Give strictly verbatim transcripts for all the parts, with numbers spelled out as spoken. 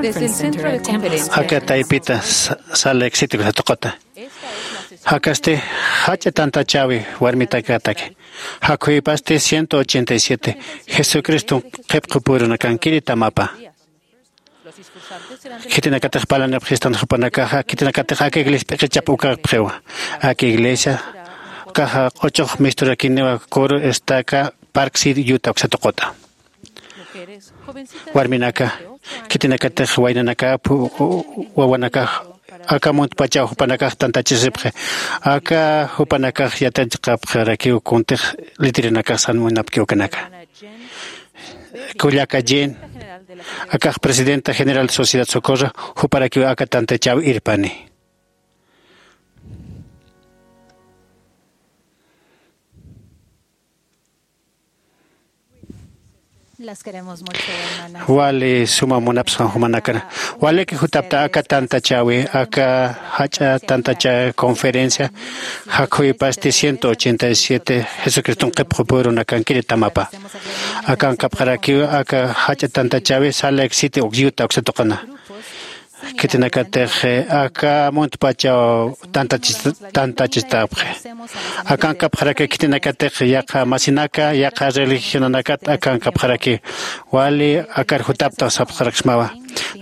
Desde el centro de conferencias. Aka taypita sa- sala exitiku satuqata. Jakasti jach'a tantachäwi warmitakataki. Jakhuypasti ciento ochenta y siete Jesucriston qhipqupurunakankiri tamapa. Khitinakatix parlanipxistan jupanakaxa, khitinakatix aka iglesia p'iqichap ukapxiwa. Aka iglesia ukaxa q'uchux misturakiniwa Coro Estaca, Park City, Utah uksa tuquta. Warminaka, khitinakatix waynanaka, pu- wawanaka, aka muntpachaw jupanakax tantachisipxi. Aka jupanakax yatichaqapxarakiw kuntix litirinakax san munapkiw kanaka. Kullaka Jen, akax presidenta general de Sociedad Socorro, juparakiw aka tantachäw irpani. Las queremos mucho, hermanas. Wali suma munapxsma jumanakana. Waliki jutapta aka tantachäwi, aka jach'a tantachä conferencia, jakhuypasti ciento ochenta y siete Jesucriston qhipqupurunakankiri tamapa. Akankapxarakiw aka jach'a tantachäwi Salt Lake City, Utah uksa tuqana. Khitinakatix, eh, aka muntpachaw tantachis- tantachistapxi. Akankapxaraki khitinakatix yaqha masinaka, yaqha religionanakat akankapxaraki. Wali akar jutapta sapxaraksmawa.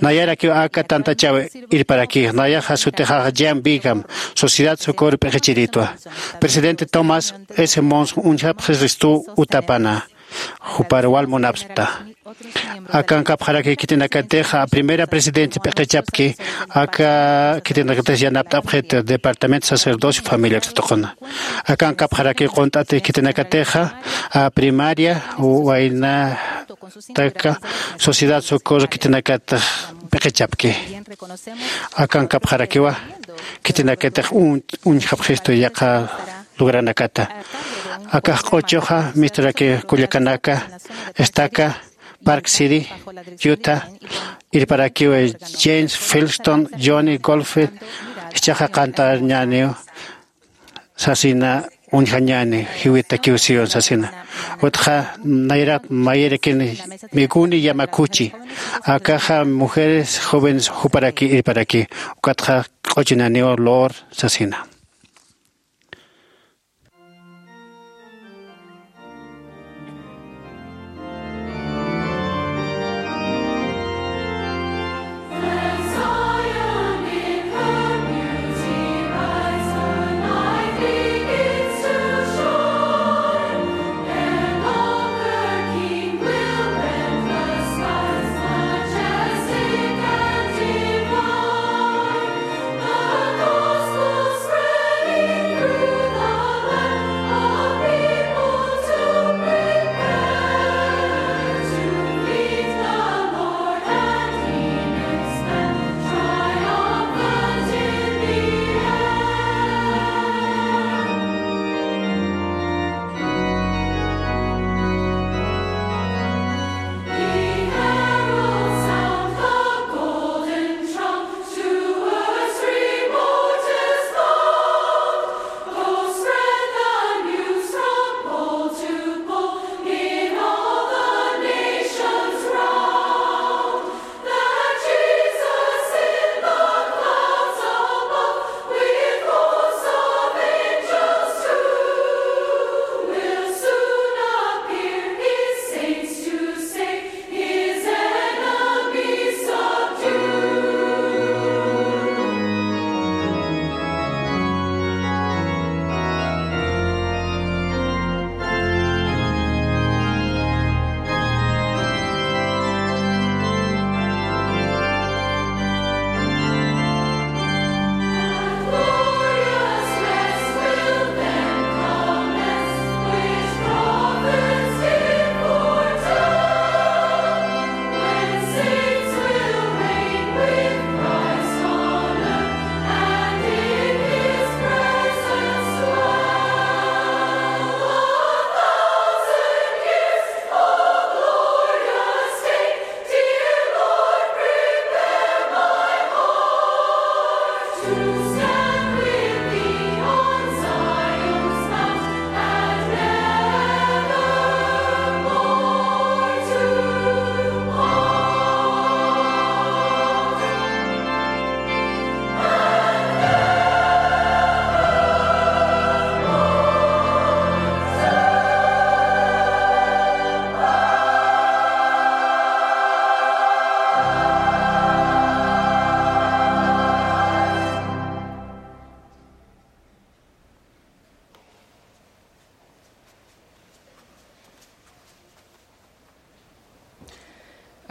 Nayarakiw aka tantachäw irparaki. Nayaxa sutixax Jan Bingham, Sociedad Socorro p'iqichiritwa. Presidente Thomas S. Monson uñjapxi ristu utapana. Jupar wal munapxta. Akankapxaraki khitinakatix, a, primera presidente p'iqichapki, aka khitinakatix yanapt'apxit Departamento Sacerdocio Familia uksa tuquna. Akankapxaraki qunt'ati khitinakatixa, a, primaria, waynataka, Sociedad Socorro khitinakatix p'iqichapki. Akankapxarakiwa, khitinakatix un- uñjapxistu yaqha logranakata. Akax q'uchuxa misturaki kullakanaka, Estaca, Park City, Utah, irparakiw James Filston, Johnny Goldfield, jichhaxa qantañäniw sasina, uñjañäni, jiwitakiw Sion sasina. Utxa nayrat mayirikin Megumi Yamaguchi, akaxa mujeres jóvenes juparaki irparaki, ukatxa q'uchuñäniw Lord sasina.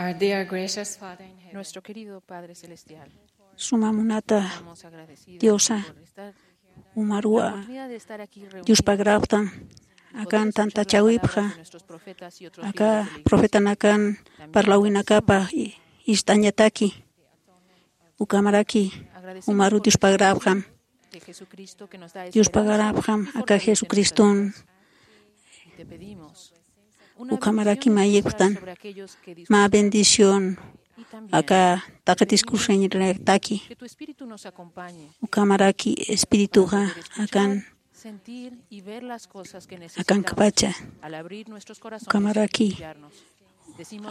Our dear gracious Father in heaven. Nuestro querido Padre Celestial, suma munata estamos agradecidos diosa por estar umaruwa la oportunidad de estar aquí reunidos yuspagrapxtam akan tantachawipxa. Aka profetanakan parlawinakapa i- ist'añataki ukamaraki umaru diospagrapxam. Diospagarapxam aka jesucriston. Ukamaraki mayipxtan mä bendición aka taqi discursoñataki. Ukamaraki espirituxa akan akankapacha ukamaraki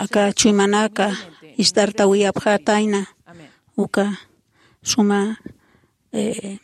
aka chuymanaka istartawiyapxatayna uka suma eh,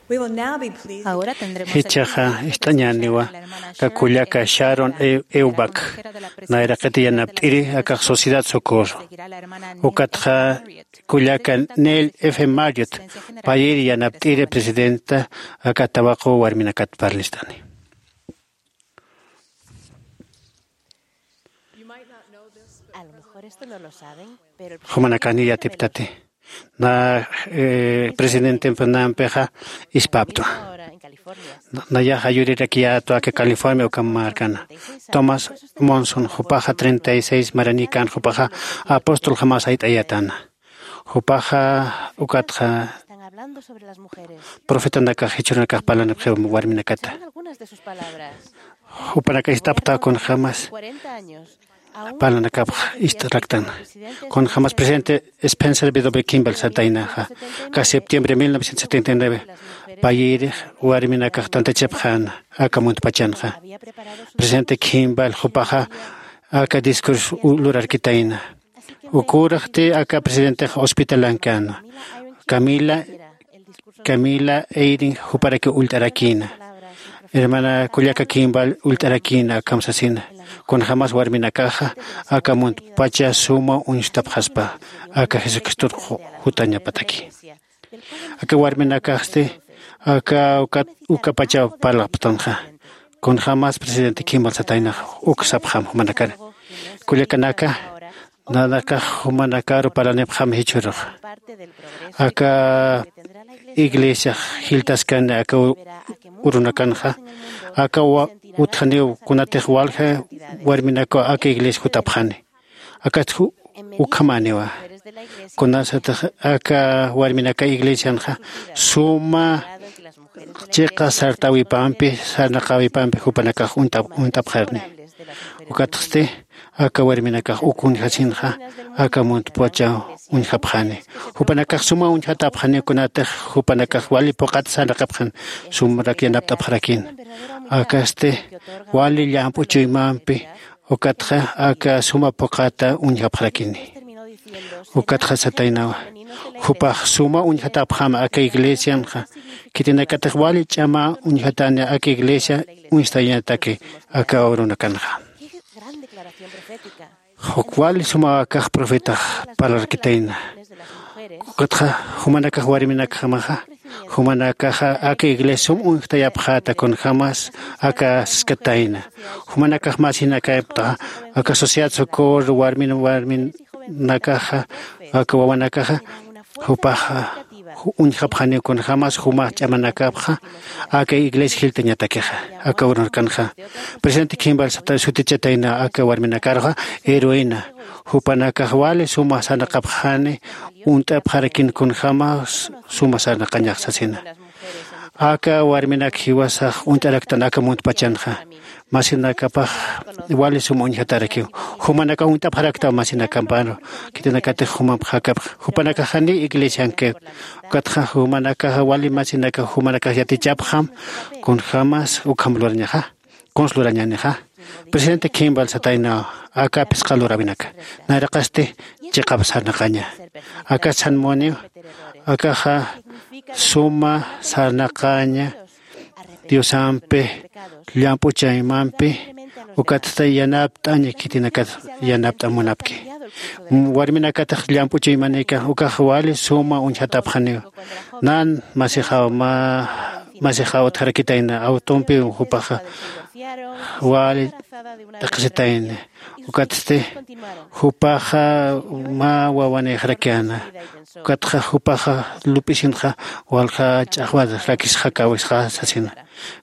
We will now be pleased to Ahora tendremos el Jichhaxa privilegio de ist'añäniwa presentar a la hermana aka kullaka Sharon Sharon E- Eubach, nayraqit yanapt'iri akax Sociedad Socorro. Ukatxa kullaka Neil F Marriott, payir yanapt'iri presidenta aka Tabaco warminakat parlist'ani. A lo mejor esto no lo saben, pero el Jumanakani yatiptati. Na eh, presidente Fernampexa ispaptwa. Ahora en California. Na- nayaxa yurirakiyätwa aka California uka markana. Thomas Monson, jupaxa treinta y seis maranikan, jupaxa apóstol jamas ayt'ayatana. Jupaxa ukatxa Están hablando sobre las mujeres. Profetanakax jichhürunakax parlanipxiw warminakata. Según algunas de sus palabras, jupanaka ist'apxta kunjämas cuarenta años, aún parlanakapx ist'raktan. Kunjämas presidente Spencer W Kimball sartaynaxa, aka septiembre mil novecientos setenta y nueve payïrix warminakax tantachapxäna aka muntpachanxa. Presidente Kimball jupaxa aka discurso lurarkitayna. Ukuraxti aka presidentex hospitalankäna. Camila Camila Eyring juparaki ullt'arakïna. Hermana kullaka kimbal ullt'arakïna akham sasina. Kunjämas warminakaxa aka muntpacha suma uñstapxaspa aka jesucristor jutañapataki. Aka warminakaxsti aka ukapachaw parlapxtanxa. Kunjämas presidente kimbal sataynax uk sapxam jumanakar kullakanaka. Nanakax jumanakaru parlanipxam jichhürux aka iglesiax jiltaskani aka urunakanxa aka utjaniw kunatix walja warminakaw aka iglesia jutapxani. Akatx ukhamäniwa kunasatix aka warminaka iglesianxa suma chiqa sartäwipampi sarnaqäwipampi jupanakax uñt'apxarni. Ukatxsti aka warminakax uk uñjasinxa aka muntpachaw uñjapxani. Jupanakax suma uñjatapxani kunatix jupanakax wali phuqhat sarnaqapxan sumrak yanapt'apxarakïn. Akasti wali llamp'u chuymampi ukatxa aka suma phuqhata uñjapxarakini. Ukatxa sataynawa jupax suma uñjatapxam aka iglesianxa. Khitinakatix wali ch'ama uñjatani aka iglesia uñstayañataki aka urunakanxa. Juk wali sumawakax profetax parlarkitayna. Ukatxa jumanakax warminakjamaxa jumanakaxa aka iglesia sum uñjtayapxäta kunjämas aka siskatayna. Jumanakax masinakaptaxa aka sociedad socorro warmin warminakaxa aka wawanakaxa jupaxa uñjapxaniw kunjämas jumax ch'amanakapxa aka iglesia jiltañatakixa. Aka urunkanxa presidente kimbal sata sutichatayna aka warminakaruxa heroína. Jupanakax wali suma sarnaqapxani uñt'apxarakin kunjämas suma sarnaqañax sasina. Aka warminak jiwasax uñt'araktan aka muntpachanxa masinakapax wali suma uñjatarakiw. Jumanakax uñt'apxaraktaw masinakamparu khitinakatix jumamp jakapx jupanakax janiw iglesiankit. Ukatxa jumanakaxa wali masinakax jumanakax yatichapxam kunjämas ukham lurañaxa. Kuns lurañänixa presidente kimbal sataynaw aka phisqa luräwinaka nayraqasti chiqap sarnaqaña. Aka sanmuniw akaxa suma sarnaqaña diosampi llamp'u chaymampi. Ukatsti yanapt'aña khitinakat yanapt'amunapki. Warminakatix llamp'u chaymanika ukax wali suma uñjatapxaniw. Nan masixaw mä masixaw utjarakitayna awtumpiw jupaxa wali t'aqhisitayna. Ukatsti jupaxa mä wawanïxarakïna. Ukatxa jupaxa lup'isinxa walja ch'axwar rakisxakäwisxa sasina.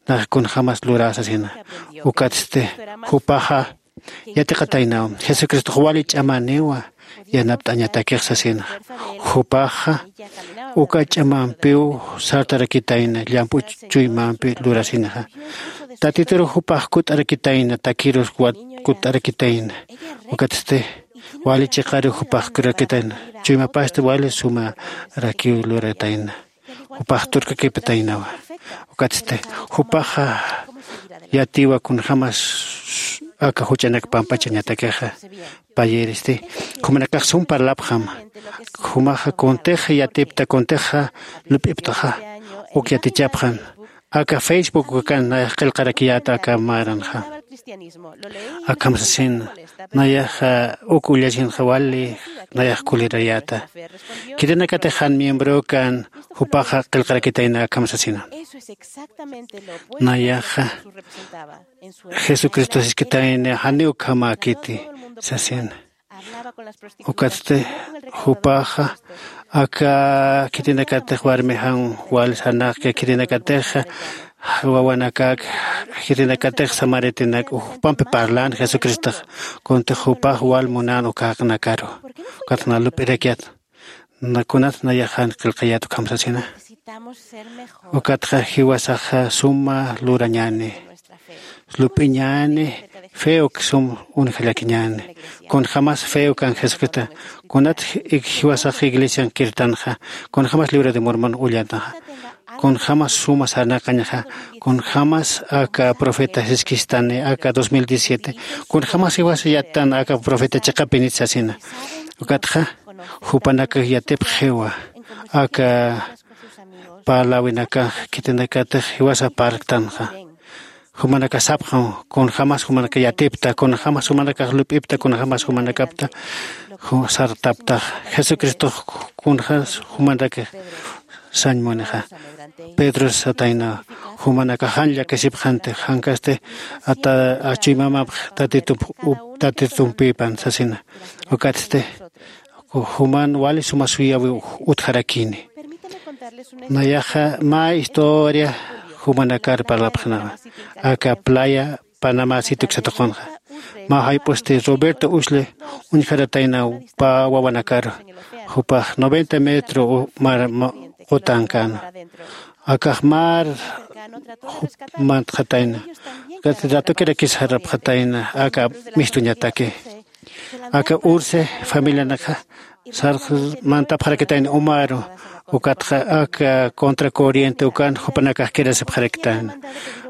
Nax kunjämas lurä sasina. Ukatsti jupaxa yatiqataynaw jesucristox wali ch'amäniwa yanapt'añatakix sasina. Jupaxa uka ch'amampiw sartarakitayna llamp'u chuymampi lurasinaxa. Tatituru jupax kutt'arakitayna takirus kutt'arakitayna. Ukatsti wali chiqaru jupax kurakitayna. Chuymapasti wali sumarakiw luratayna. Jupax turkakipataynawa. Ukatsti jupaxa yatiwa kunjämas aka juch'anak pampachañatakixa. Payiristi jumanakax sum parlapxam. Jumaxa kuntix yatipta kuntixa lup'iptaxa uk yatichapxan. Aka facebook ukakan nayax qillqarakiyäta aka maranxa. Akham sasin nayaxa uk ullasinxa wali nayax kulirayäta. Khitinakatix jan miembrokan jupaxa qillqarakitayna akham sasina. Nayaxa jesucristo siskitayna janiw ukhamäkiti sasina. Ukatsti jupaxa aka khitinakatix warmijan wal sarnaqki khitinakatix wawanakak khitinakatix samaritinak jupampi parlan jesucristox. Kuntix jupax wal munan uka jaqnakaru. Ukatx na lup'irakyat nakunat nayaxan qillqayät ukham sasina. Ukatxa jiwasaxa suma lurañäni. Lup'iñäni fe uk sum unjallakiñäni. Kunjämas fe ukan jesucrista kunat jiwasax iglesian kirtanxa kunjämas libro de mormon ullanxa kunjämas suma sarnaqañxa kunjämas aka profeta siskistani aka dos mil diecisiete kunjämas jiwas yattan aka profeta chiqapinit sasina. Ukatxa jupanakax yatipxiwa aka parläwinakax khitinakatix jiwasa parktanxa. Jumanakax sapxam kunjämas jumanakax yatipta, kunjämas jumanakax lup'ipta, kunjämas jumanakapta sartaptax. Jesucristox kunjämas jumanakax sañ munixa. Pedro satayna jumanakax jan llakisipxanti, jankasti ata achuymamapx tatitumpïpan sasina. Ukatsti juman wali suma suyäwiw utjarakini. Nayaxa mä historia jumanakar parlapxnawa. Aka playa panamá situksatuqunxa mä jayp'usti roberto usli uñjarataynaw pä wawanakaru. Jupax noventa metro mar qutankäna. Akax mar mantxatayna. Ratukirakis jarapxatayna aka mistuñataki. Aka urse familianakxa sarx mantapxarakitayna umaru. Ukatxa aka contra corriente ukan jupanakax kirasipxarakitayna.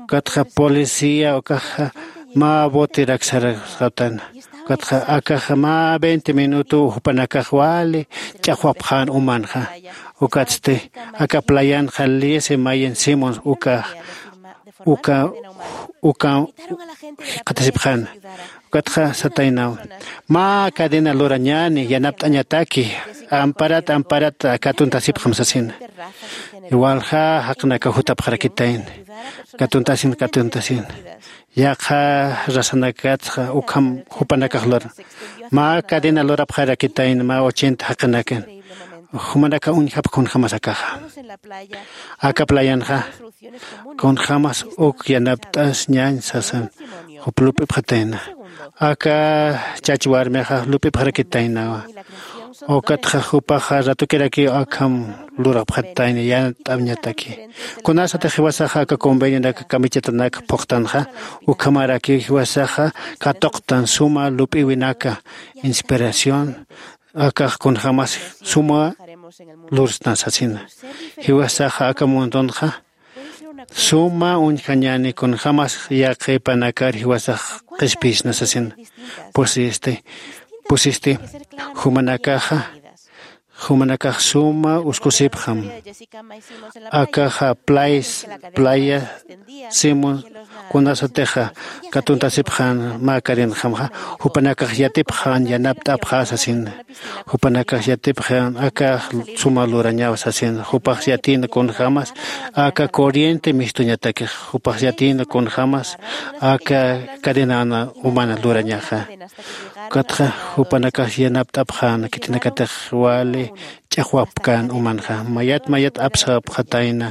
Ukatxa policía ukaxa mä botirak sarxatayna. Ukatxa akaxa mä veinte minuto jupanakax wali ch'axwapxän umanxa. Ukatsti aka playanxa liese mayen simons ukax uka uka jikxatasipxäna. Ukatxa sataynaw mä cadena lurañäni yanapt'añataki. Amparat amparat katuntasipxam sasina. Walja jaqinaka jutapxarakitayna katuntasin katuntasin. Yaqha rasanakatxa ukham jupanakax luran mä cadena lurapxarakitayna mä ochenta jaqinakan. Jumanaka uñjapx kunjämas akaxa. Aka playanxa kunjämas uk yanapt'as ñañ sasan jup lup'ipxatayna. Aka chach warmixa lup'ipxarakitaynawa. Ukatxa jupaxa ratukirakiw akham lurapxatayna yanapt'añataki. Kunasatix jiwasaxa aka convenionak kamichatanak phuqtanxa ukhamarakiw jiwasaxa katuqtan suma lup'iwinaka inspiración. Akax kunjämas suma lursna sasina. Jiwasaxa aka mundunxa suma uñjañäni kunjämas yaqhipanakar jiwasax qhispiyisna sasina. Pusisti pusisti jumanakaxa jumanakax suma uskusipxam. Akaxa playa simon kunasatixa katuntasipxän mä cadenjamxa jupanakax yatipxän yanapt'apxä sasina. Jupanakax yatipxän akax suma lurañaw sasina. Jupax yatïna kunjämas aka corriente mistuñatakix. Jupax yatïna kunjämas aka cadenana humana lurañaxa. Ukatxa jupanakax yanapt'apxäna khitinakatix wali ch'axwapkän umanxa mayat mayat apsapxatayna.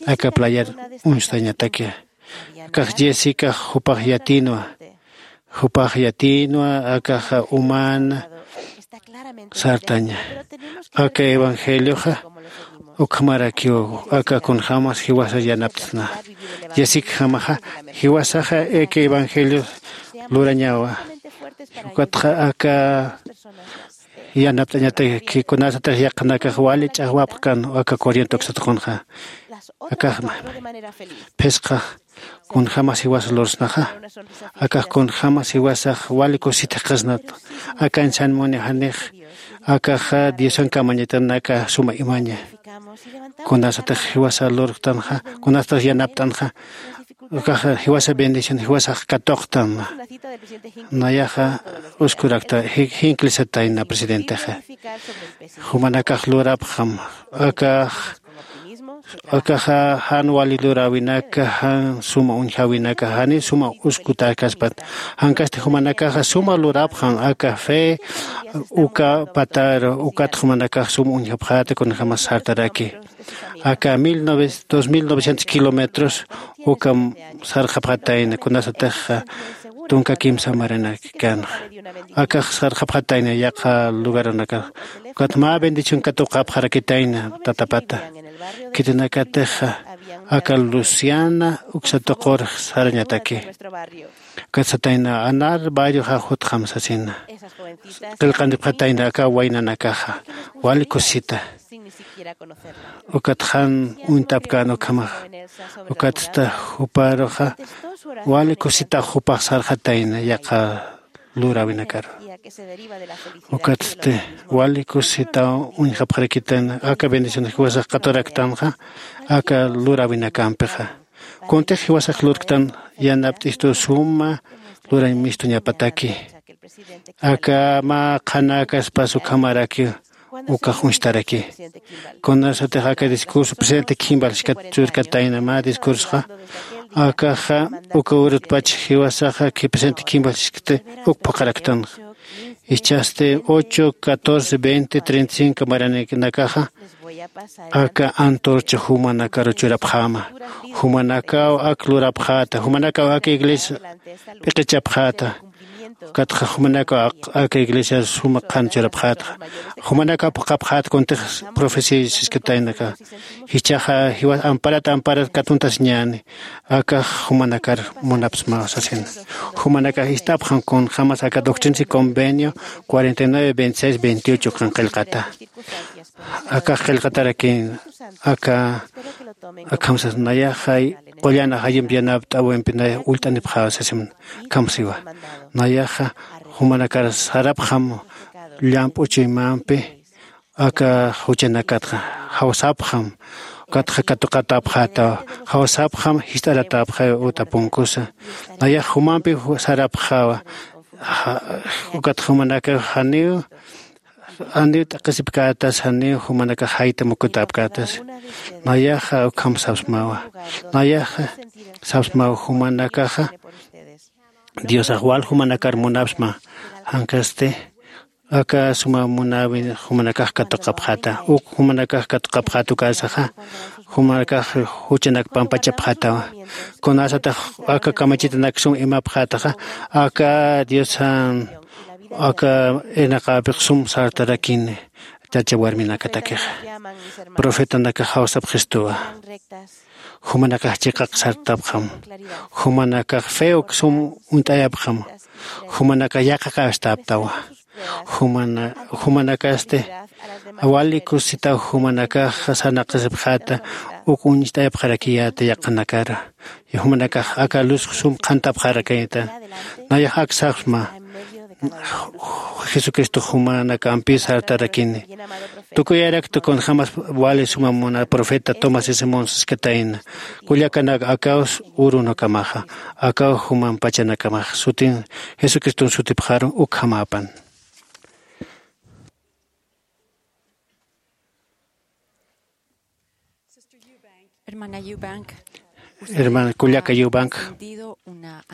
Aka playar uñstañataki. Akax jessicax jupax yatïnwa jupax yatïnwa akaxa umana sartaña. Aka evangelioxa ukhamarakiw aka kunjämas jiwasa yanapt'asna. Jessicjamaxa jiwasaxa aka evangelio lurañawa. Ukatxa aka yanapt'añataki kunasatix yaqhanakax wali ch'axwapxkän aka corriente uksatuqunxa. Akaxma phisqa kunjämas jiwasa lursnaxa. Akax kunjämas jiwasax wali kusita jikxasnat. Akan sañ muni janix akaxa diosan kamañatanaka suma imaña. Kunasatix jiwasa lurktanxa kunasatix yanapt'anxa. Akaxa jiwasa bendición jiwasax katuqtan. Nayaxa uskurakta jinklisatayna presidentexa. Jumanakax lurapxam akax akaxa jan wali luräwinaka jan suma uñjäwinaka janiw suma uskutäkaspat. Jankasti jumanakaxa suma lurapxam aka fe uka pataru ukat jumanakax suma uñjapxäta kunjämas sartaraki. Aka dos mil novecientos kilómetros ukam sarxapxatayna kunasatixa tunka kimsa maranakkanxa. Akax sarxapxatayna yaqha lugaranakax. Ukat mä bendición katuqapxarakitayna tatapata. Khitinakatixa aka luciana uksatuqur sarañataki. Ukat satayna anar barrioxa jutxam sasina. Qillqantipxatayna aka waynanakaxa wali kusita. Ukat jan uñtapkän ukhamaxa. Ukatsta juparuxa wali kusitax jupax sarxatayna yaqha luräwinakaru. Ukatsti wali kusisitaw uñjapxarakitan aka bendición jiwasax katuraktanxa aka luräwinakampixa. Kuntix jiwasax lurktan yanapt'istu suma lurañ mistuñapataki. Aka mä qhanäkaspas ukhamarakiw ukax uñstarakiy. Kunasatix aka discurso presidente Kimball churkatayna mä discursxa akaxa uka urutpach jiwasaxa presidente Kimball uk phuqharaktanxa. Ichhasti ocho catorce veinte treinta y cinco maraninakaxa aka antorcha jumanakaru churapxäma. Jumanakaw ak lurapxäta, jumanakaw aka iglesia p'iqichapxäta. Ukatxa jumanakaw aka iglesia suma qhan churapxätxa. Jumanakaw phuqhapxäta kuntix profecía siskataynaka. Jichhaxa jiwas amparat amparat katuntasiñäni. Akax jumanakar munapsmaw sasina. Jumanakax ist'apxam kunjämas aka doctrina y convenio cuarenta y nueve veintiséis veintiocho qan qillqata. Akax qillqatarakin aka akham sas nayaxa qullan ajayumpi yanapt'äwimpi nayax ullt'anipxäwa sasim. Akham siwa nayaxa jumanakar sarapxam llamp'u chuymampi aka juchanakatxa jawsapxam. Ukatxa katuqatäpxätawa jawsapxam jist'aratäpxäwa uta punkusa. Nayax jumampi sarapxäwa. Ukatxa jumanakax janiw janiw t'aqhisipkätas janiw jumanakax jayta mukutäpkätas. Nayaxa ukham sapsmawa. Nayaxa sapsmawa jumanakaxa diosax wal jumanakar munapsma. Jankasti aka suma munäwi jumanakax katuqapxäta uk jumanakax katuqapxäta ukasaxa jumanakax juchanak pampachapxätawa. Kunasatix aka kamachitanak sum imapxätaxa aka diosan aka irnaqäpix sum sartarakini. Chacha warminakatakixa profetanakax jawsapxistuwa. Jumanakax chiqaq sartapxam. Jumanakax feok sum uñt'ayapxam. Jumanakax yaqaqäwistaptawa. Jumana jumanakasti wali kusisitaw jumanakax sarnaqasipxäta uk uñst'ayapxarakiyäta yaqhanakar. Jumanakax aka luz sum qhantapxarakïta. Nayax ak sapsma jesucristo jumanakampis sartarakini. Tukuyarakta kunjämas wali suma muna profeta tomás simón siskatayna. Kullakanak akaw urunakamaxa akaw juman pachanakamaxa sutin jesucriston sutipxaru ukhamäpan. Hermana Eubank, hermana kullaka Eubank,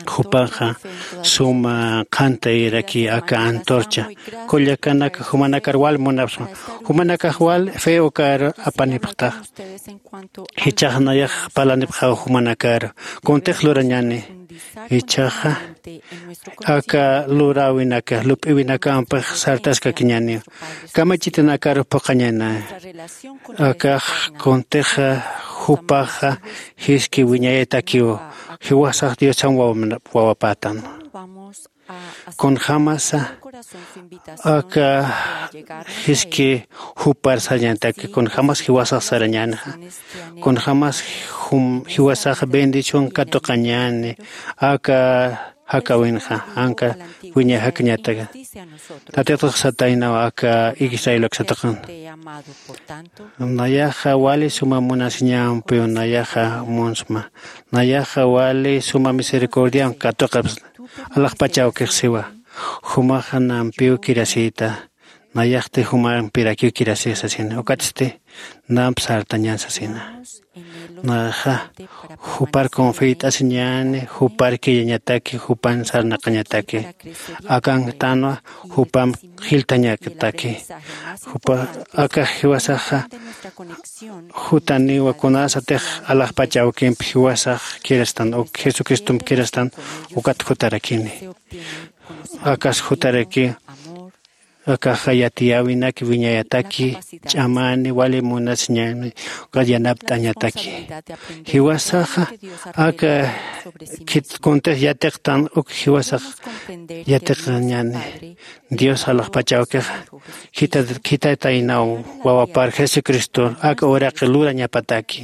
jupaxa suma qhantayraki aka antorcha kullakanaka jumanakar wal munapxsma. Jumanakax wal fe ukar apanipxtax. Jichhax nayax parlanipxaw jumanakar kuntix lurañäni. Jichhaxa aka luräwinaka lup'iwinakampix sartaskakiñäniw. Kamachitinakar phuqhañäni. Akax kuntixa jupaxa jiski wiñayatakiw jiwasax diosan wawapätan. Kunjämasa aka jiski jupar sarañätaki kunjämas jiwasax sarañänixa. Kunjämas jiwasax bendición katuqañäni aka jakäwinxa anka wiñay jakañataka. Tatitux sataynaw aka israelok sataqan. Nayaxa wali suma munasiñampiw nayaxa munsma. Nayaxa wali suma misericordian katuqapsna. Alaxpachawkix siwa jumaxa nampiw kirasïta. Nayaxti jumampirakiw kirasï sasina ukatsti namp sartañän sasina. Naxa jupar confiyt'asiñäni jupar killañataki jupan sarnaqañataki. Akanktanwa jupamp jiltañataki. Jupa akax jiwasaxa jutaniwa kunasatix alaxpach awkimp jiwasax kirastan uk jesucristomp kirastan ukat jutarakini. Akas jutaraki akaxa yatiyäwinaki wiñayataki ch'amani wali munasiñani ukat yanapt'añataki. Jiwasaxa aka khit kuntix yatiqtan uk jiwasax yatiqañani. Dios alaxpach awkixa khitataynaw wawapar jesucristor aka uraqi lurañapataki.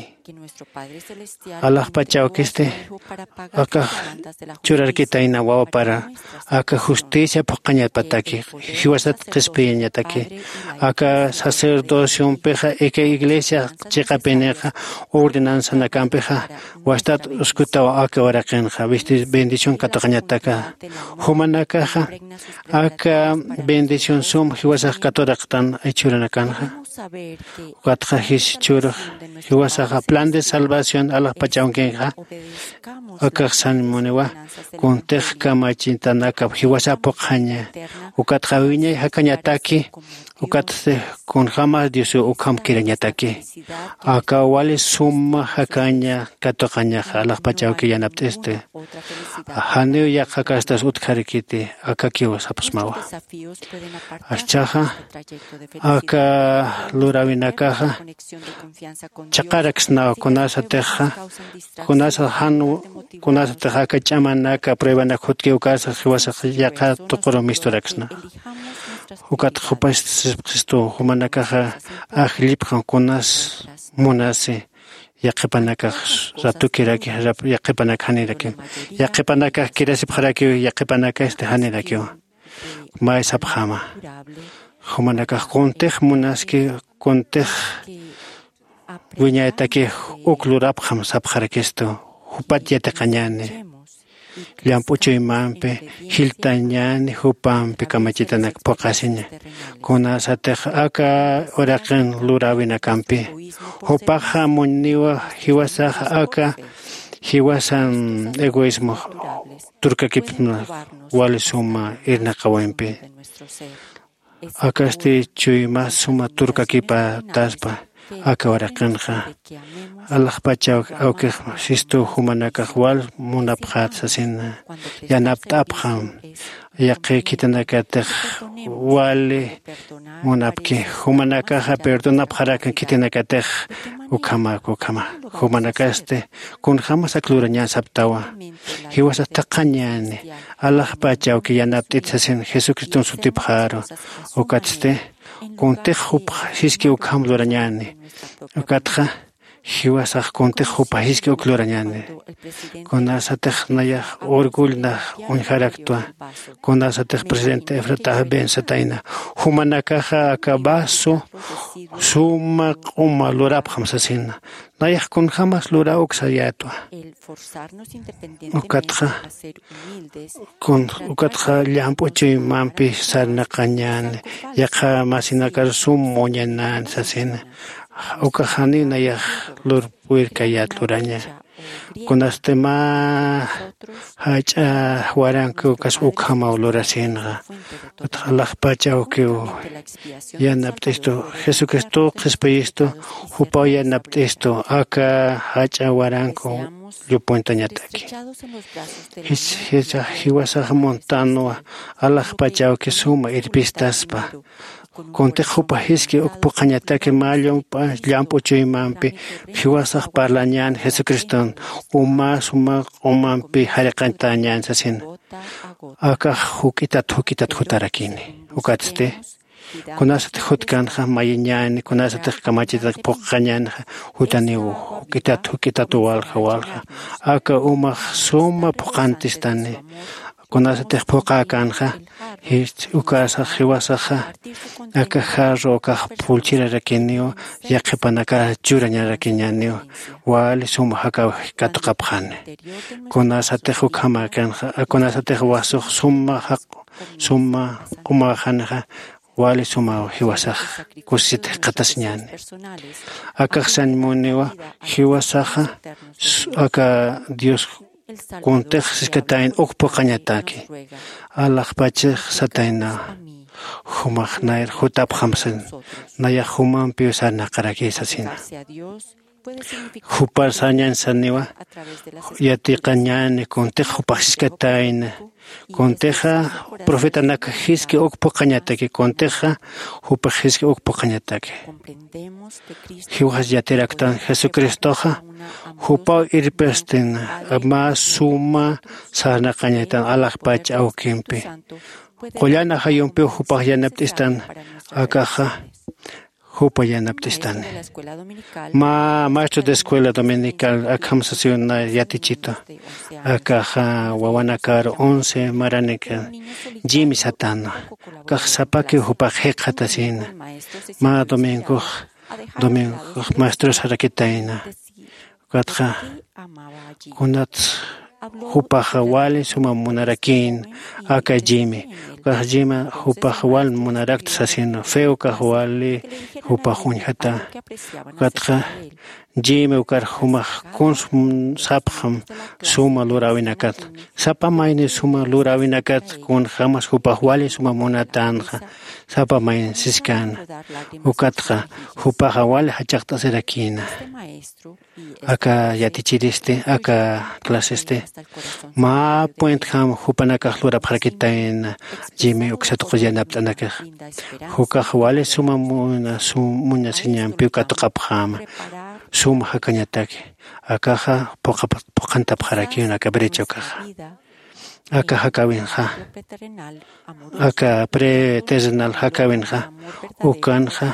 Alaxpacha awkisti akax churarkitayna wawapara aka justicia phuqañapataki, jiwasat qhispiyañataki. Aka sacerdociompixa ika iglesia chiqapinixa ordenanzanakampixa wastat uskutaw aka uraqinxa bendición katuqañataka. Jumanakaxa aka bendición sum jiwasax katuraqtan ay churanakanxa. Ukatxa jis churux jiwasaxa plan de salvación alaxpachawkinxa akaxsan muniwa kuntix kamachitanakap jiwasa phuqhaña. Ukatxa wiñay jakañataki. Ukatsti kunjämas diosu ukham kirañataki. Aka wali suma jakaña katuqañaxa alaxpachawki yanapt'isti. Janiw yaqha kastas utjarkiti akakiw sapxsmawa. Aschhaxa aka luräwinakaxa chhaqaraksnaw kunasatixa kunasa jan kunasatix aka ch'amanaka pruebanak jutki ukasa jiwasax yaqha tuquru misturaksna. Ukat jupax sipxistu jumanakaxa ajllipxan kunas munasi. Yaqhipanakax ratukiraki yaqhipanak janirakiw yaqhipanakax kirasipxarakiw yaqhipanakasti janirakiw. Mä sapxäma jumanakax kuntix munaski kuntix wiñaytakix uk lurapxam sapxarakistu. Jupat yatiqañäni llamp'u chuymampi jiltañäni jupampi kamachitanak phuqhasiña. Kunasatix aka uraqin luräwinakampi jupaxa muñniwa jiwasaxa aka jiwasan egoísmo turkakipsna wali suma irnaqawimpi. Akasti chuyma suma turkakipataspa aka uraqinxa alaxpachaw awkix sistu jumanakax wal munapxät sasina yanapt'apxam. Yaqhi khitinakatix wali munapki jumanakaxa perdonapxarakan khitinakatix ukhamak ukhama jumanakasti kunjämas ak lurañän saptawa. Jiwasas thaqhañäni alaxpach awki yanapt'it sasin jesucriston sutipxaru. Ukatsti kuntix jupax jiski ukham lurañäni. Ukatxa jiwasax kuntix jupax jiski uk lurañäni. Kunasatix nayax orgullnax uñjaraktwa kunasatix presidente efratax bensatayna jumanakaxa aka vaso suma q'uma lurapxam sasina. Nayax kunjämas lura uksayätwa. Ukatxa ukatxa llamp'u chuymampi sarnaqañäni yaqha masinakar sum muñanan sasina. Ukax janiw nayax lurpwirkayät luraña. Kunasti mä jach'a waranki ukas ukhamaw lurasinxa. Utxa alaxpach awkiw yanapt'istu jesucristow qhispiyistu jupaw yanapt'istu aka jach'a waranku llupuntañataki. Jisax jiwasax muntanwa alaxpach awki suma irpistaspa. Kuntix jupax jiski uk phuqhañataki mä llamp'u chuymampi jiwasax parlañän jesucriston uma suma q'umampi jariqañtañän sasin. Akax juk'itat juk'itat jutarakini. Ukatsti kunasatix jutkanxa mayiñäni kunasatix kamachitanak phuqhañänxa jutaniw juk'itat juk'itat walja walja aka umax suma phuqhantistani. Kunasatix phuqhäkänxa ukasa jiwasaxa aka jarro ukax pulchirarakiniw yaqhipanakax churañarakiñäniw wali suma jakaw katuqapxani. Kunasatix ukhamäkänxa kunasatix wasux suma jaq suma q'umaxanixa wali sumaw jiwasax kusisit jikxatasiñäni. Akax sañ muniwa jiwasaxa aka dios kuntix siskatayna uk phuqhañataki alaxpachix sataynawa. Jumax nayar jutapxam sin nayax jumampiw sarnaqaraki sasina. Jupar sañan saniwa yatiqañäni kuntix jupax siskatayna kuntixa profetanaka jiski uk phuqhañataki kuntixa jupax jiski uk phuqhañataki. Jiwaxas yatiraktan jesucristoxa jupaw irpastin mä suma sarnaqañatan alaxpach awkimpi qullan ajayumpiw jupax yanapt'istan. Akaxa Jupa yanapt'istani. Mä maestro de escuela dominical akham sasiw na yatichitu. Akaxa wawanakar once maranika jimi satana. Akax sapakiw jupax jikxatasina. Mä domingox domingox maestrosarakitayna. Ukatxa kunats jupaxa wali suma munarakïn aka jimi. Ukax jima jupax wal munarakta sasina, feo kax wali jupax uñjata. Ukatxa jimi ukar jumax kuns sapxam suma luräwinakat. Sapa mayni suma luräwinakat kunjämas jupax wali suma munatänxa. Sapa mayni siskän. Ukatxa jupaxa wali jachaqt'asirakïna. Aka yatichiristi aka clasesti mä puentjam jupanakax lurapxarakitayna. Jimi uksa tuqi yanapt'anakax. Jukax wali suma muna sum muñasiñampiw katuqapxäma. Suma jakañataki. Akaxa phuqhantapxarakiw aka brecha ukaxa. Aka jakäwinxa, aka preterrenal jakäwinxa ukanxa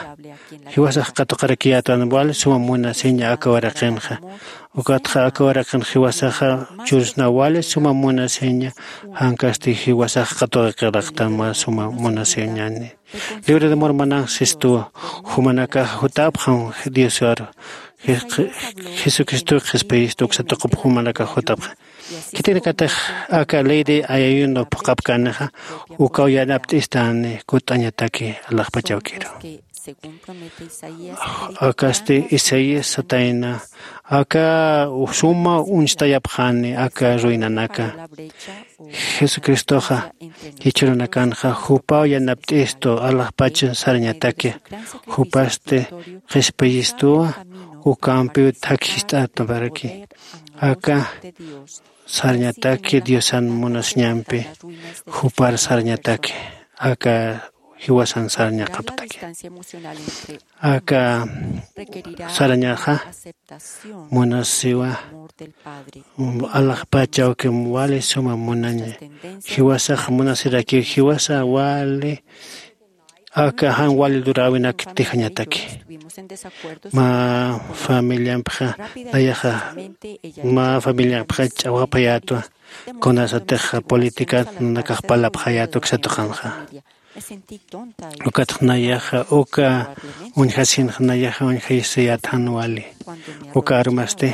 jiwasax katuqarakiyätwan wali suma munasiña aka waraqinxa. Ukatxa aka waraqinxa jiwasaxa chursna wali suma munasiña. Jankasti jiwasax katuqaraktan wali suma munasiñani. Libro de Mormonan sistuwa jumanakax jutapxam Diosar. Jesucristo qhispiyistu uksa tuqup jumanakax jutapxam. Khitinakatix aka ley de ayuno phuqhapkänixa ukaw yanapt'istani kut'añataki alaxpachawkiru. Akasti Isaías satayna aka suma uñstayapxani aka ruinanaka. Jesucristoxa jichhürunakanxa jupaw yanapt'istu alaxpach sarñataki. Jupasti qhispiyistuwa ukampiw thakhi jist'ataparaki. Aka sarñataki Diosan munasiñampi jupar sarñataki. Aka jiwasan sarñaqaptaki. Aka sarñaxa munasiwa alaxpachawkim wali suma munaña. Jiwasax munasirakiw jiwasa wali aka jan wali luräwinak tijañataki. Mä familiampxa nayaxa mä familiampxa ch'awapayätwa. Kunasatix politikat nanakax parlapxayät uksa tuqanxa. Ukatx nayaxa uka uñjasinxa nayaxa uñjayisiyät jan wali. Uka armasti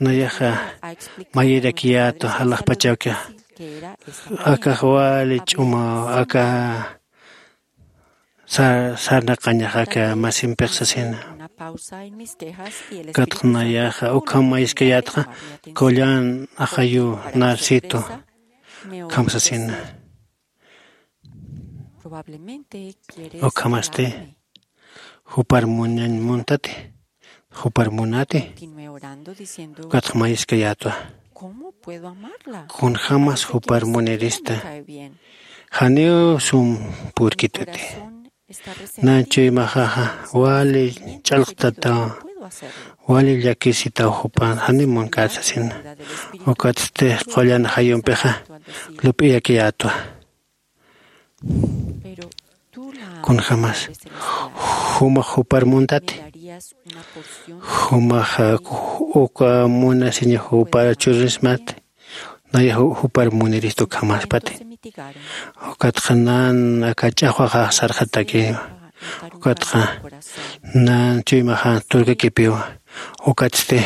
nayaxa mayirakiyätwa alaxpachawkixa. Akax wali ch'umaw aka sarnaqañax aka masimpix sasina. Ukatx nayaxa ukham mayiskayätxa qullan axayuw narsitu ukham sasina. Ukhamasti jupar munañ muntati, jupar munati. Ukatx mayiskayätwa kunjämas jupar munirista. Janiw sum purkituti. Nan chuymaxaxa wali ch'alqtataw, wali llakisitaw jupan janiw munkät sasina. Ukatsti qullan axayumpixa lup'iyakiyätwa. Kunjämas jumax jupar muntati. Jumax uka munasiña jupar churirismati. Nayax jupar munirista ukhamaspati. Ukatxa nan aka ch'axwaxax sarxatakiwa. Ukatxa nan chuymaxa turkakipiwa. Ukatsti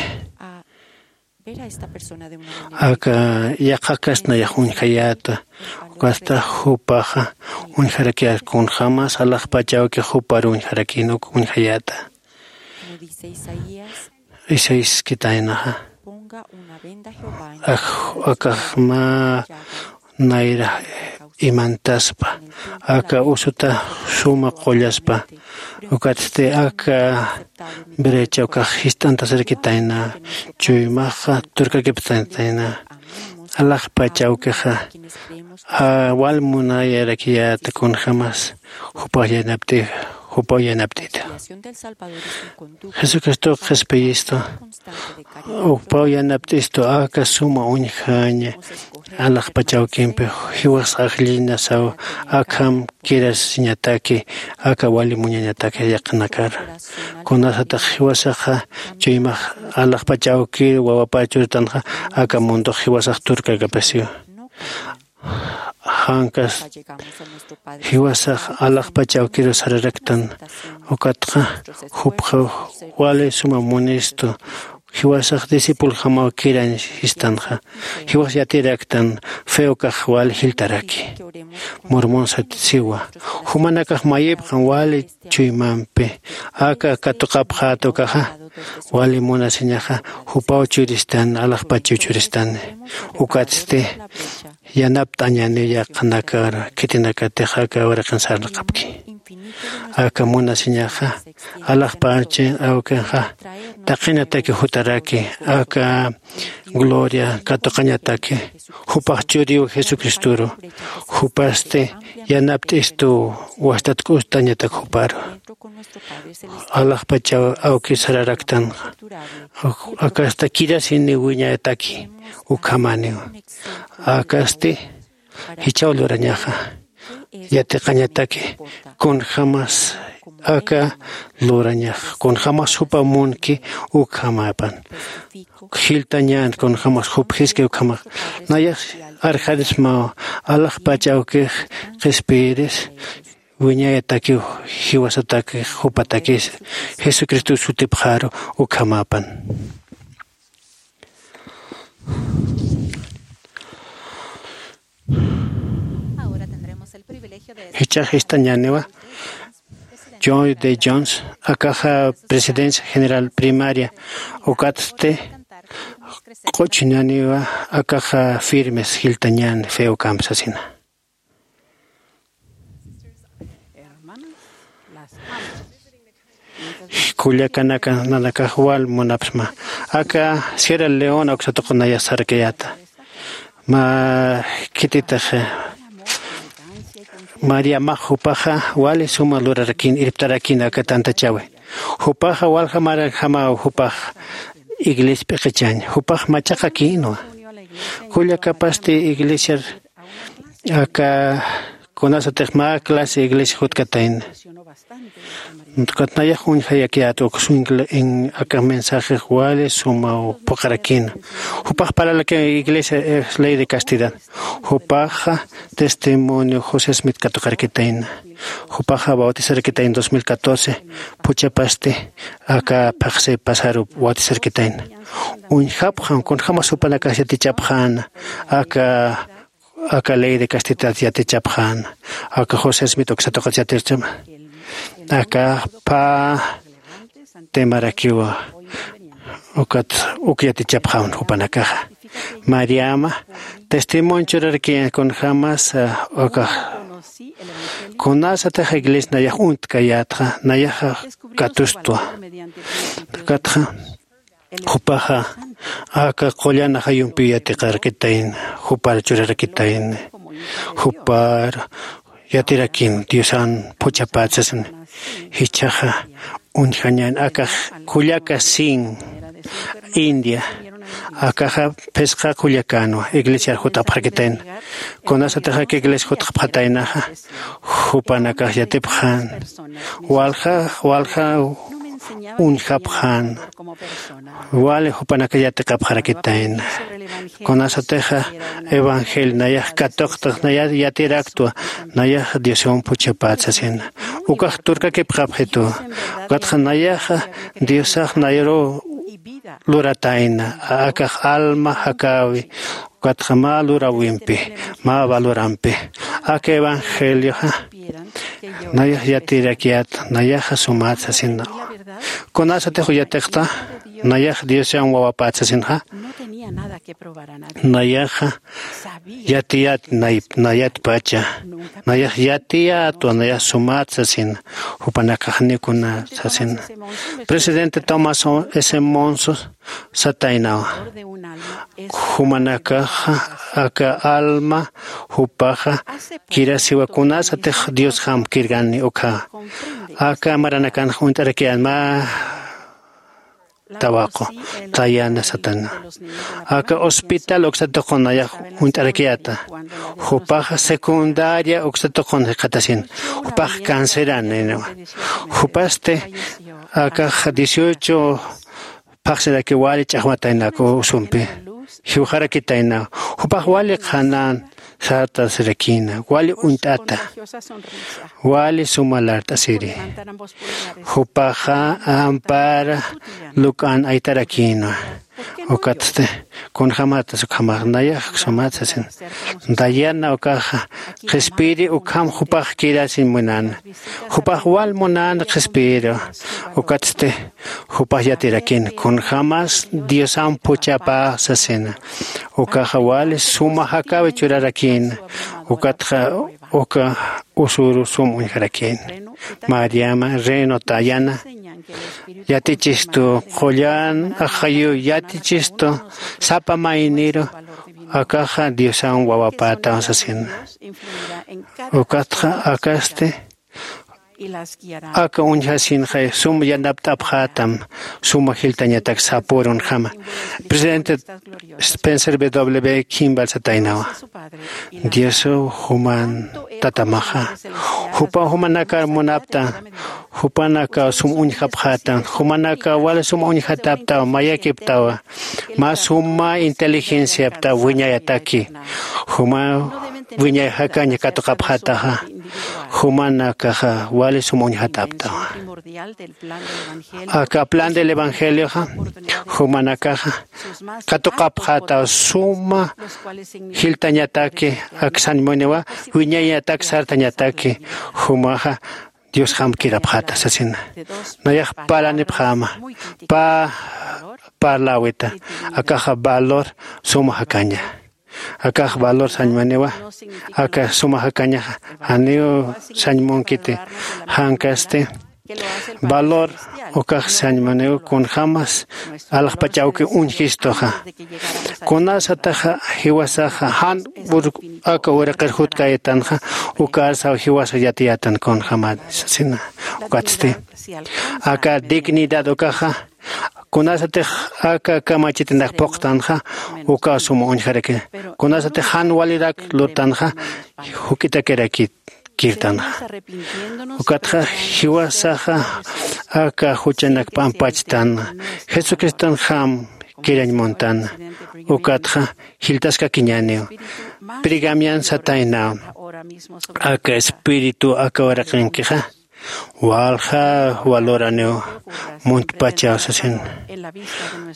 aka yaqhakas nayax uñjayäta. Ukatsta jupaxa uñjarakiyät kunjämas alaxpachawki jupar uñjarakïn uk uñjayäta. Isaías khitaynaxa akax mä nayra imantaspa aka usuta suma qullaspa. Ukatsti aka brecha ukax jist'antasirkitayna. Chuymaxa turkakiptayna alaxpachawkixa wal munayarakiyäta kunjämas jupax yanapt'ixa. jupaw yanapt'ita. Jesucristox qhispiyistu, jupaw yanapt'istu aka suma uñjaña alaxpachawkimpi jiwasxaxllinasaw akham kirasiñataki aka wali muñañataki yaqhanakar. Kunasatix jiwasaxa chuymax alaxpachawkir wawapar churitanxa aka mundox jiwasax turkakapasiwa. Jankas jiwasax alaxpachawkiru sararaktan ukatxa jupxa wali suma munistu jiwasax discipuljamaw kirañ sistanxa. Jiwas yatiraktan feokax wali jiltaraki. Mormon sat siwa jumanakax mayipxan wali chuymampi aka katuqapxäta ukaxa wali munasiñaxa jupaw churistan alaxpachaw churistani. Ukatsti yanapt'añani yaqhanakar khitinakatix aka uraqin sarnaqapki. Aka munasiñaxa alaxpachi awkinxa taqinataki jutaraki aka gloria katuqañataki jupax churiw jesucristoru. Jupasti yanapt'istuw wastatk'ustañatak juparu alaxpachaw awki sararaktan. Akasta kirasini wiñayataki ukhamaniw. Akasti jichhaw lurañaxa yatiqañataki kunjämas aka lurañax kunjämas jupa munki ukhamapan jiltañän kunjämas jupjiski ukhamax. Nayax arjarismaw alaxpach awkix qhispiyiris wiñayatakiw jiwasatakix jupatakis jesucristo sutipxaru ukhamapan. Jichhax istañäniwa john de jones akaxa presidencia general primaria ukatsti q'uchñäniwa akaxa firmes jiltañän feokamp sasina. Kullakanaka nanakax wal munapsma aka sierra leona uksatuqunaya sarkayata. Mä khititix maría max jupaxa wali suma lurarakïn irptarakïn aka tantachawi. Jupaxa waljamaranjamaw jupax iglesia p'iqichañ jupax machaqakïnwa. Kullakapasti iglesiar aka kunasatix mä clase iglesia jutkatayna. Ukat nayax uñjayakiyät uk swingle en aka mensajex wali sumaw phuqharakïna. Jupax paralaki iglesia es ley de castidad. Jupaxa testimonio josé smith katuqarakitayna. Jupaxa bautizarakitayna dos mil catorce phuchhapasti aka phaxsi pasaru bautizarakitayna. Uñjapxam kunjämas jupanakax yatichapxäna aka aka ley de castidad yatichapxäna. Aka josé smith uksatuqat yatichapxäna aka pä temarakiwa. Ukat uk yatichapxäwan jupanakaxa mariama testimonio churarki kunjämas aka kunasatix iglesia nayax uñtkayätxa nayaxa katustwa. Ukatxa jupaxa aka qullan ajayumpiw yatiqarakitayna jupar churarakitayna. Jupar yatirakïn diosan phuchhapät sasina. Jichhaxa uñjañän akax kullaka sin india akaxa phisqa kullakänwa iglesiar jut'apxarakitayna. Kunasatix aka iglesia jut'apxataynaxa jupanakax yatipxän walja walja uñjapxän wali jupanakax yatiqapxarakitayna. Kunasatixa evangelio nayax katuqtix nayar yatiraktwa nayax diosan phuchhapät sasina. Ukax turkakipxapxitu ukatxa nayaxa diosax nayaruw luratayna akax alma jakäwi. Ukatxa mä luräwimpi mä valorampi aka evangelioxa nayax yatirakiyät nayaxa sumät sasina. Kunasatix yatiqta nayax diosan wawapät sasinxa nayaxa yatiyät nayatpacha nayax yatiyätwa nayax sumät sasin. Jupanakax janiw kuna sasin presidente tomás s monso sataynawa. Jumanakaxa aka alma jupaxa kirasiwa kunasatix diosjam kirkani ukha Aka maranakanxa uñt'arakiyän mä tawaqu, tayana satana. Aka hospital uksa tuqun nayax uñt'arakiyäta. Jupaxa secundaria uksa tuqun jikxatasin. Jupax canceran niniwa. Jupasti akax dieciocho phaxsiraki wali ch'axwataynak usumpi. Jiwxarakitaynaw. Jupax wali qhanän sartasirakïna, wali uñt'ata, wali suma lart'asiri. Jupaxa ampara luk'an aytarakïna. Ukatsti kunjämatas ukhamax nayax sumat sasin. Dayana ukaxa qhispiri ukham jupax kirasiñ munäna. Jupax wal munäna qhispiru. Ukatsti jupax yatirakïna kunjämas Diosamp juchapäx sasina. Ukaxa wali suma jakäwi churarakïna. Ukatxa uka usüru sum uñjarakïna. Mariama reino tayana yatichistu, qullan ajayu yatichistu, sapa mayniru akaxa Diosan wawapätaw sasina. Ukatxa akasti aka uñjasinxa sum yanapt'apxätam, suma jiltañatak sapürunjama. Presidente Spencer W Kimball sataynawa. Diosu juman tatamaxa. Jupa jumanakar munapta, jupanaka sum uñjapxätam, jumanaka wali sum uñjataptaw, mayakiptawa. Mä suma inteligenciapta wiñayataki. Juma wiñay jakaña katuqapxätaxa. Jumanakaxa wali sum uñjataptawa. Aka plan del evangelioxa jumanakaxa katuqapxätaw suma jiltañataki, aksañ muniwa wiñayatak sartañataki. Jumaxa Diosjam kirapxäta sasina. Nayax parlanipxäma, pä parläwita. Akaxa valor suma jakaña. Akax valor sañ muniwa. Aka suma jakañaxa janiw sañ munkiti. Jan kasti valor ukax sañ muniw kunjämas alaxpach awki uñjistuxa. Kunasataxa jiwasaxa jan aka uraqir jutkayitanxa, ukarsaw jiwasax yatiyätan kunjämani sasina. Ukatsti aka dignidad ukaxa kunasatix aka kamachitinak phuqtanxa, ukaw suma uñjaraki. Kunasatix jan walirak lurtanxa, juk'itakirakïtanxa. Ukatxa jiwasaxa aka juchanak p'ampachtan, Jesucristonjam kirañ muntan. Ukatxa jiltaskakiñäniw. Pergamian satayna, aka espíritu aka uraqinkixa walja valoraniw muntpachaw sasin.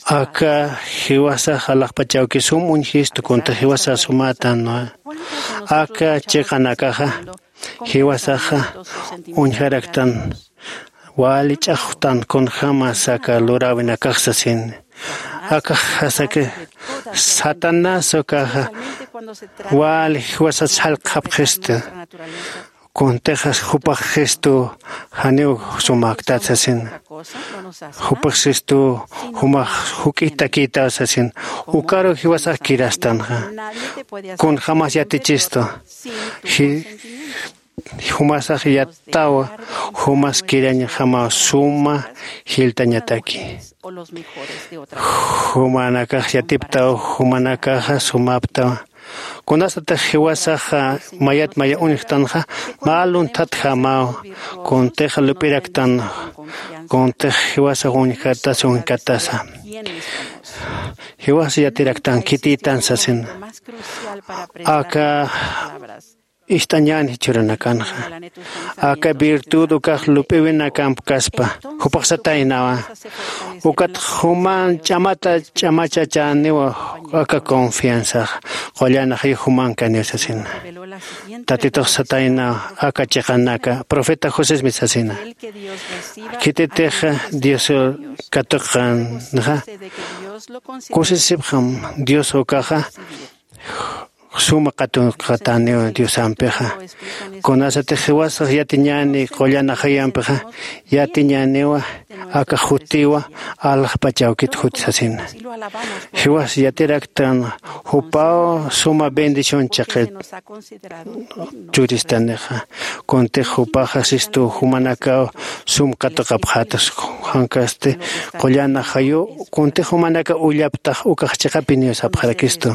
Aka jiwasax alaxpach awki sum uñjistu, kunti jiwasax sumätan. Aka chiqanakaxa jiwasaxa uñjaraktan, wali ch'axwtan kunjämas aka luräwinakax sasin. Akax jasaki Satanás ukaxa wali jiwasas jallq'apxistu. Kuntixas jupax Jesucristo janiw sumäktat sasin. Jupax Jesucristo jumax juk'itakïtaw sasin. Ukaru jiwasax kirastanxa. Kunjämas yatichistu. Ji- jumasax yattawa, jumas kirañjamaw suma jiltañataki. Jumanakax yatiptaw, jumanakaxa sumaptawa. Kunasatix jiwasaxa mayat maya uñjtanxa, mä lunthatjamaw, kuntixa lup'iraktan, kuntix jiwasax uñjatasa, uñjatasa. Jiwas yatiraktan, khitïtan sasin. Aka ist'añän jichhüranakanxa. Aka virtud ukax lup'iwinakamp kaspa, jupax sataynawa. Ukat juman ch'amata ch'amachachäniwa aka confianzax. Qullan ajay jumankaniw sasina. Tatitux sataynawa aka chiqanaka. Profeta Josésmi sasina. Khititix Dios katuqanxa, kusisipxam Dios ukaxa suma qatuqataniw Diosampixa. Kunasatix jiwasax yatiñäni qullan ajayumpixa, yatiñäniwa aka jutiwa aljpachawkit juti sasina. Jiwas yatiraktan jupaw suma bendición chiqit churistanixa. Kuntix jupaxa sistu jumanakaw sum qatuqapxäta, jankasti qullan ajayu kuntix jumanakax ullaptax ukax chiqapiniw sapxarakistu.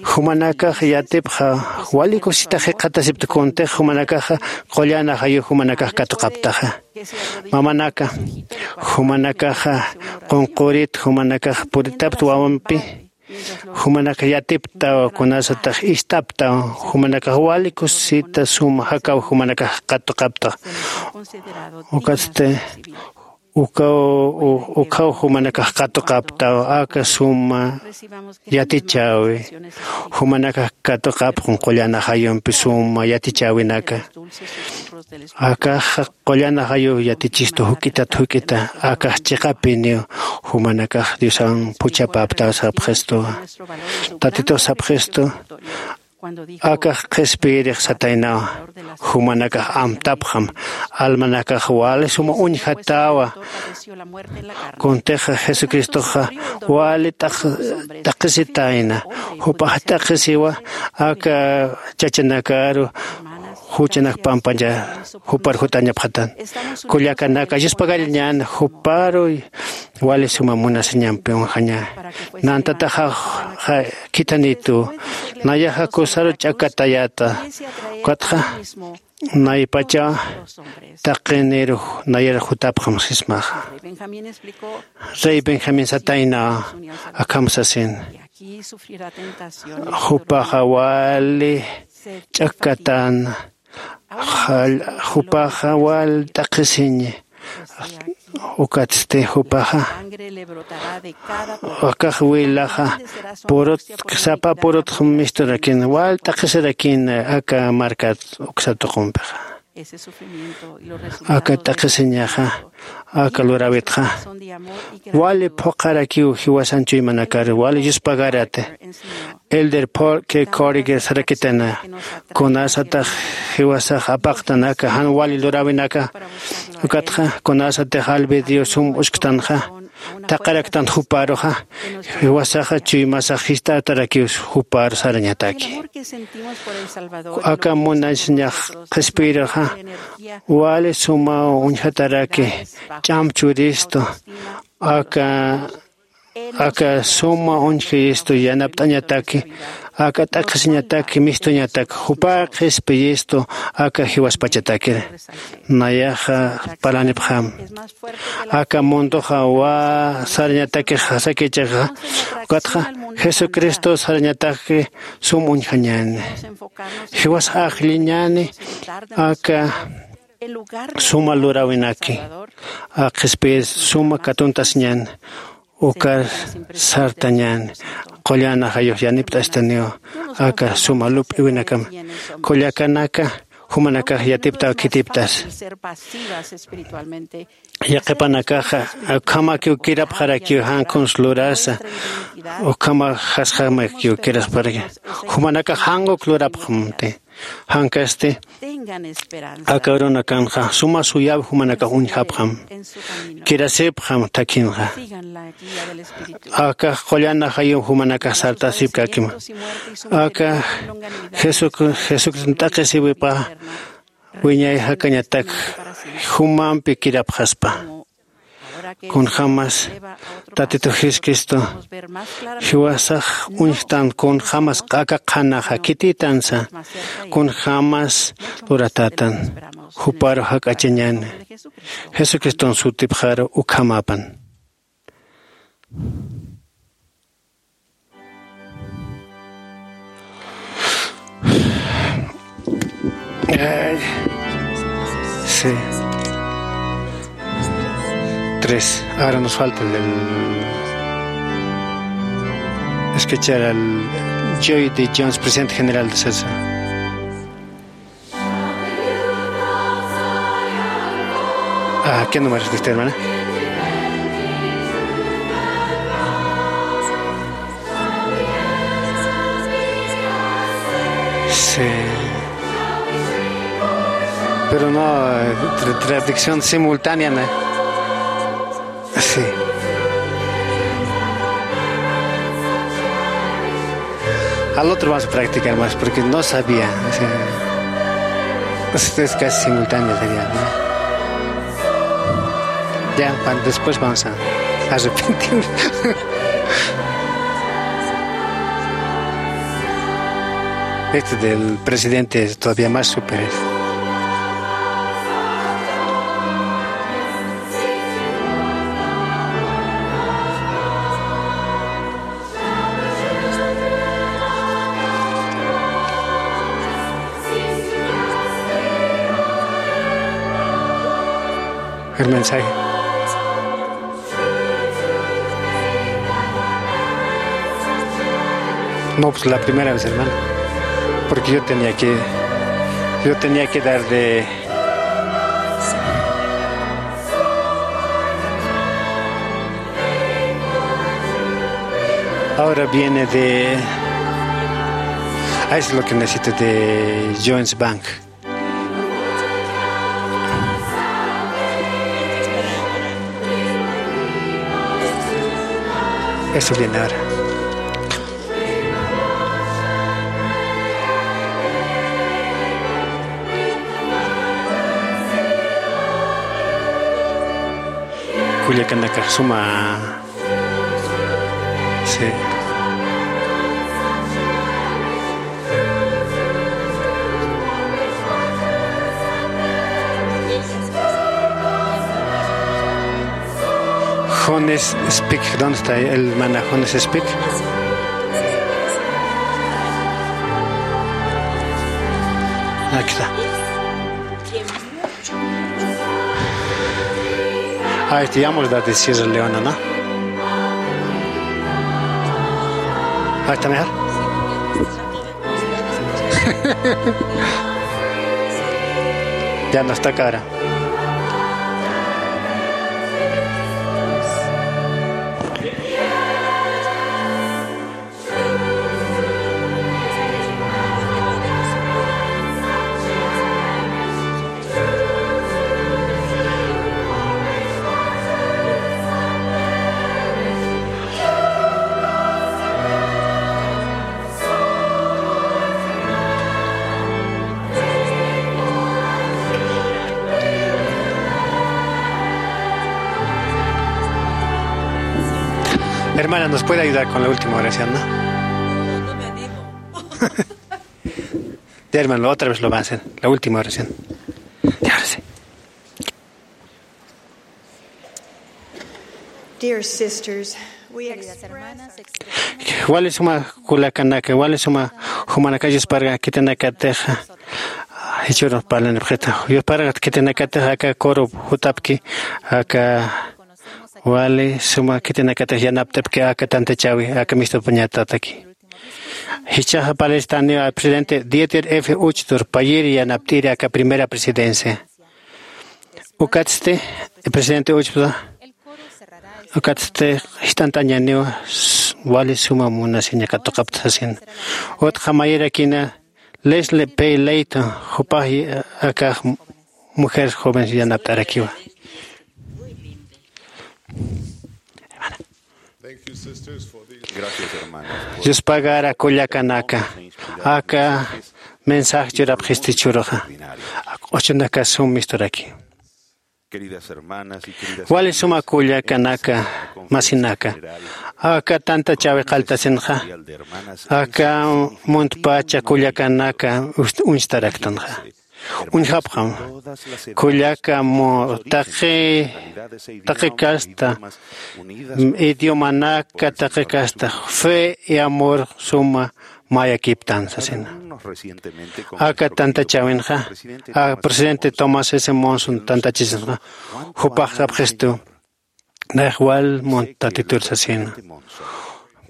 Jumanakax yatipxa wali kusisitax jikxatasipta, kuntix jumanakaxa qullan ajayu jumanakax katuqaptaxa. Mamanaka, jumanakaxa qunqurit, jumanakax puritapta wawampi, jumanakax yatiptaw, kunasatax ist'aptaw, jumanakax wali kusisita suma jakaw jumanakax qatuqaptax. Ukatsti ukaw, u-, ukhaw jumanakax qatuqaptaw aka suma yatichäwi. Jumanakax katuqapxam qullan ajayumpi suma yatichäwinaka. Akax qullan ajayuw yatichistu juk'itat juk'ita, akax chiqapiniw jumanakax Diosan phuchhapäptaw sapxistuwa. Tatitux sapxistu, akax qhispiyirix sataynawa, jumanakax amtapxam, almanakax wali suma uñjatäwa. Kuntixa Jesucristoxa wali t'aq-, t'aqhisitayna, jupax t'aqhisiwa aka chachanakaru juchanak pampaña jupar jutañapxatan. Kullakanaka, yuspagariñän juparu wali suma munasiñampi uñjañä. Nantataxa, ja, khithanitu, nayaxa kusaru ch'akatayäta, ukatxa naypacha taqiniru nayar jutapxam sismaxa. Rey Benjamín satayna akham sasin. Jupaxa wali ch'akatan, jall-, jupaxa wal t'aqhisiñi. Ukatsti jupaxa, akax wilaxa purut, sapa purutx misturakin, wal t'aqhisirakin aka markat uksa tuqumpixa. Aka t'aqhisiñaxa, aka luräwitxa, wali phuqharakiw jiwasan chuymanakar, wali yuspagarati. Elder Paul K. Corriger sarakitana, kunasatax jiwasax apaqtanaka jan wali luräwinaka, ukatxa kunasatix albedrío sum usktanxa, taqaraktan juparuxa, jiwasaxa chuymasax jist'atarakiw jupar sarañataki. Aka munasiñax qhispiyirxa, wali suma uñjataraki, ch'am churistu, aka aka suma uñjistu yanapt'añataki, aka t'aqhisiñataki, mistuñataki, jupa qhispiyistu aka jiwaspachatakiri. Nayaxa parlanipxam. Aka mundoxa wali sarañataki sakichaxa, ukatxa Jesucristo sarañataki sum uñjañäni. Jiwas ajlliñäni aka suma luräwinaki, aka qhispiyir suma katuntasiñäni. Ukar sartañäni, qullan ajayux yanipt'astaniw aka suma lup'iwinakama. Kullakanaka, jumanakax yatiptaw khitiptas. Yaqhipanakaxa ukhamakiw kirapxarakiw jan kuns lurasa, ukhamax jasjamakiw kirapxarakiw. Jumanakax jan uk lurapxamti. Jankasti aka urunakanxa suma suyäwi jumanakax uñjapxam, kirasipxam thakhinxa. Aka qullan ajayum jumanakax sartasipkäkima. Aka Jesuc-, Jesucristo t'aqhisiwipa wiñay jakañatak jumampi kirapxaspa. Kunjämas Tatitu Jesucristo jiwasax uñjtan, kunjämas aka qhanaxa khitïtansa, kunjämas luratätan, juparu jak'achañäni. Jesucriston sutipxaru ukhamäpan. Ay. Sí. Tres. Ahora nos falta el, el escuchar al Joy de Jones, presidente general de CESA. Ah, ¿qué número es usted, hermana? Sí. Pero no, eh, tra-, traducción simultánea, ¿no? Sí. Al otro vamos a practicar más porque no sabía. O sea, es, es casi simultáneo sería, ¿no? Ya, pa-, después vamos a arrepentirnos. Este del presidente es todavía más súper. El mensaje. No, pues la primera vez, hermano. Porque yo tenía que, yo tenía que dar de... Ahora viene de... Ah, es lo que necesito de Jones Bank. Eso viene ahora. Kullakanaka suma. Sí. Jones Speak, ¿dónde está el hermana Jones Speak? Aquí está. Ah, este ya hemos dado de Sierra Leona, ¿no? Ah, está mejor. Ya no está cara. Hermana, ¿nos puede ayudar con la última oración, no? No, no me animo. Ya, hermano, otra vez lo va a hacer. La última oración. Ya, ahora sí. Dear sisters, we express our... Wali suma kullakanaka, wali suma jumanaka, yusparga khitinakatixa jichhürux parlanipxita. Yusparga khitinakatixa aka coro jutapki, aka wali suma khitinakatix yanapt'apki aka tantachäwi, aka mistupañatataki. Jichhaxa parlistaniwa presidente Dieter F. Uchtdorf, payïr yanapt'iri aka primera presidencia. Ukatsti, presidente Uchtdorf, ukatsti jist'antañaniwa, s-, wali suma munasiña katuqapta sasina. Utjamayirakina Leslie P. Layton, jupax, eh, akax mujeres jóvenes yanapt'arakiwa. Gracias, hermanos. Yuspagara kullakanaka, aka mensaje churapxisti churxa, q'uchunaka sum misturaki. Queridas hermanas y queridas... Wali suma kullakanaka, masinaka, aka tantachäwi qalltasinxa, aka muntpacha kullakanaka uñstaraktanxa. Uñjapxam, kullaka mu-, taqi, taqi kasta, idiomanaka taqi kasta, fe y amor suma mayakiptan sasina. Aka tantachäwinxa, a presidente Thomas S. Monson tantachisinxa, jupax sapxistu, nax wal munt Tatitur sasina.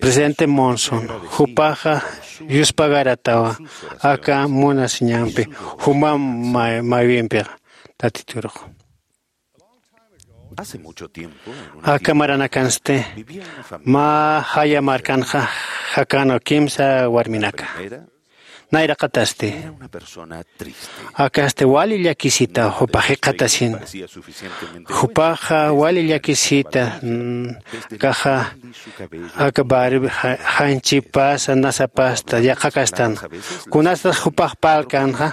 Presidente Monson, jupaxa yuspagaratawa aka munasiñampi, juma may-, maywimpixa Tatiturux. Aka maranakansti, mä jaya markanxa jakänwa kimsa warminaka. Nayraqatasti akasti wali llakisita jupax jikxatasin. Jupaxa wali llakisita kaxa aka barbi janchipasa nasapasta yaqhakastan. Kunasatax jupax parlkanxa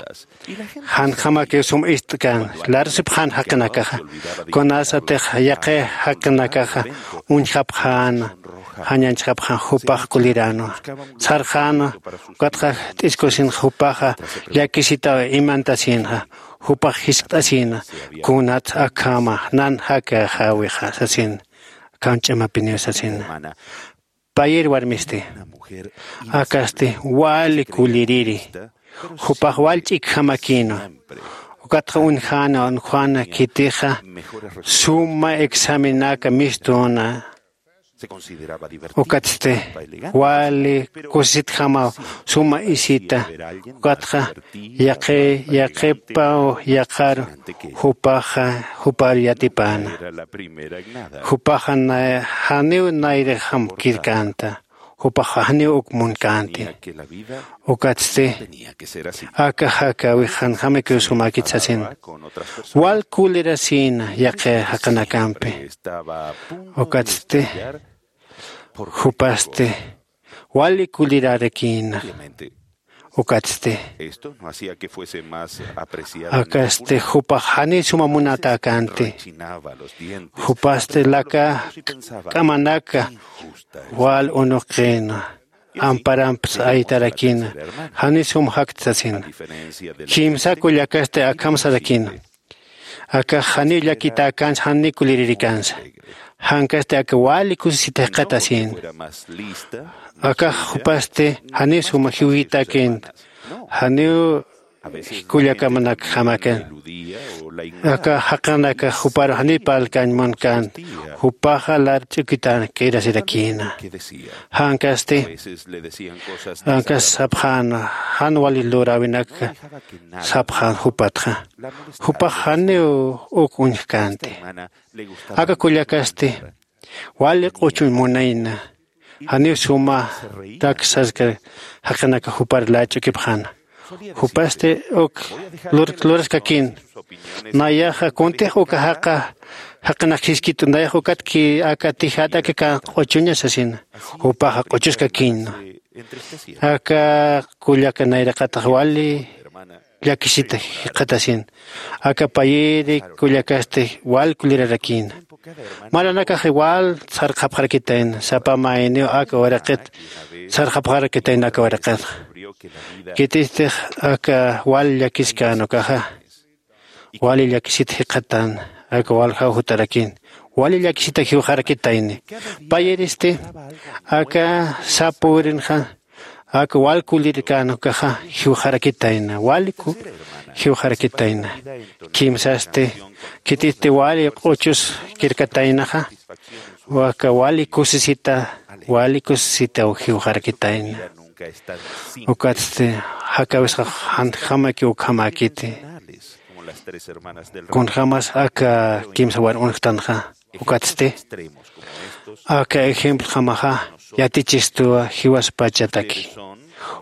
janjamakiw sum ist'kan larusipxan jaqinakaxa. Kunasatix yaqi jaqinakaxa uñjapxäna jañanchxapxan jupax kuliränwa sarxänwa. Ukatxa t'iskusinxa jupaxa llakisitaw imantasinxa jupax jiskt'asina. Kunat akhama nan jakaxäwixa sasin. Akham ch'amapiniw sasina. Payir warmisti akasti wali kulliriri jupax wal ch'ikjamakïnwa. Ukatxa uñjäna uñjäna khitixa suma examenaka mistuna. Ukatsti wali kusisitjamaw suma isita. Ukatxa yaqi yaqipaw yaqaru jupaxa jupar yatipäna. Jupaxa janiw nayrixam kirkänta. Jupaxa janiw uk munkänti. Ukatsti aka jakäwix janjamakiw sumäkit sasin. Wal kulirasïna yaqi jaqinakampi. Ukatsti jupasti wali kullirarakïna. Ukatsti akasti jupax janiy suma munatäkänti. Jupasti laka k'amanaka wal unuqkïna. Amparamps aytarakïna janiy sum jaktsasin. Kimsa kullakasti akham sarakïna. Akax janiw llakitäkänsa janiw kuliririkansa. Jankasti aka wali kusisita jikxatasïna. Akax jupasti janiw suma jiwitakïnta janiw kullakamnakjamakan. Aka jaqinakax juparu janiw parlkañ munkänta. Jupaxa lar ch'ukitänkirasirakïna. Jankasti ankas sapxäna jan wali luräwinaka sapxän jupatxa. Jupax janiw uk uñjkänti. Aka kullakasti wali q'uchuñ munayna. Janiw suma taksarka jaqinaka jupar lach'ukipxäna. Jupasti uk luraskakïna. Nayaxa kuntix uka jaqa jaqinak jiskit'u nayax ukatki aka tijat aka q'uchuña sasina. Jupaxa q'uchuskakïna. Aka kullaka nayraqatax wali llakisita jikxatasina. Aka payiri kullakasti wal kulirarakïna. Maranakax wal sarxapxarakitayna sapa mayniw aka waraqit sarxapxarakitayna aka waraqitxa. Khitistix aka wal llakiskän ukaxa wali llakisit jikxatan. Aka waljaw jutarakïn wali llakisita jiwxarakitayni. Payiristi aka sapa wirinxa aka wal kulirkän ukaxa jiwxarakitayna wali jiwxarakitayna. Kimsasti khitisti wali q'uchus kirkataynaxa aka wali kusisita wali kusisitaw jiwxarakitayna. Ukatsti jakäwisxa janjamakiw ukhamäkiti. Kunjämas aka kimsa war uñjtanxa ukatsti aka ejemploxamaxa yatichistuwa jiwaspachataki.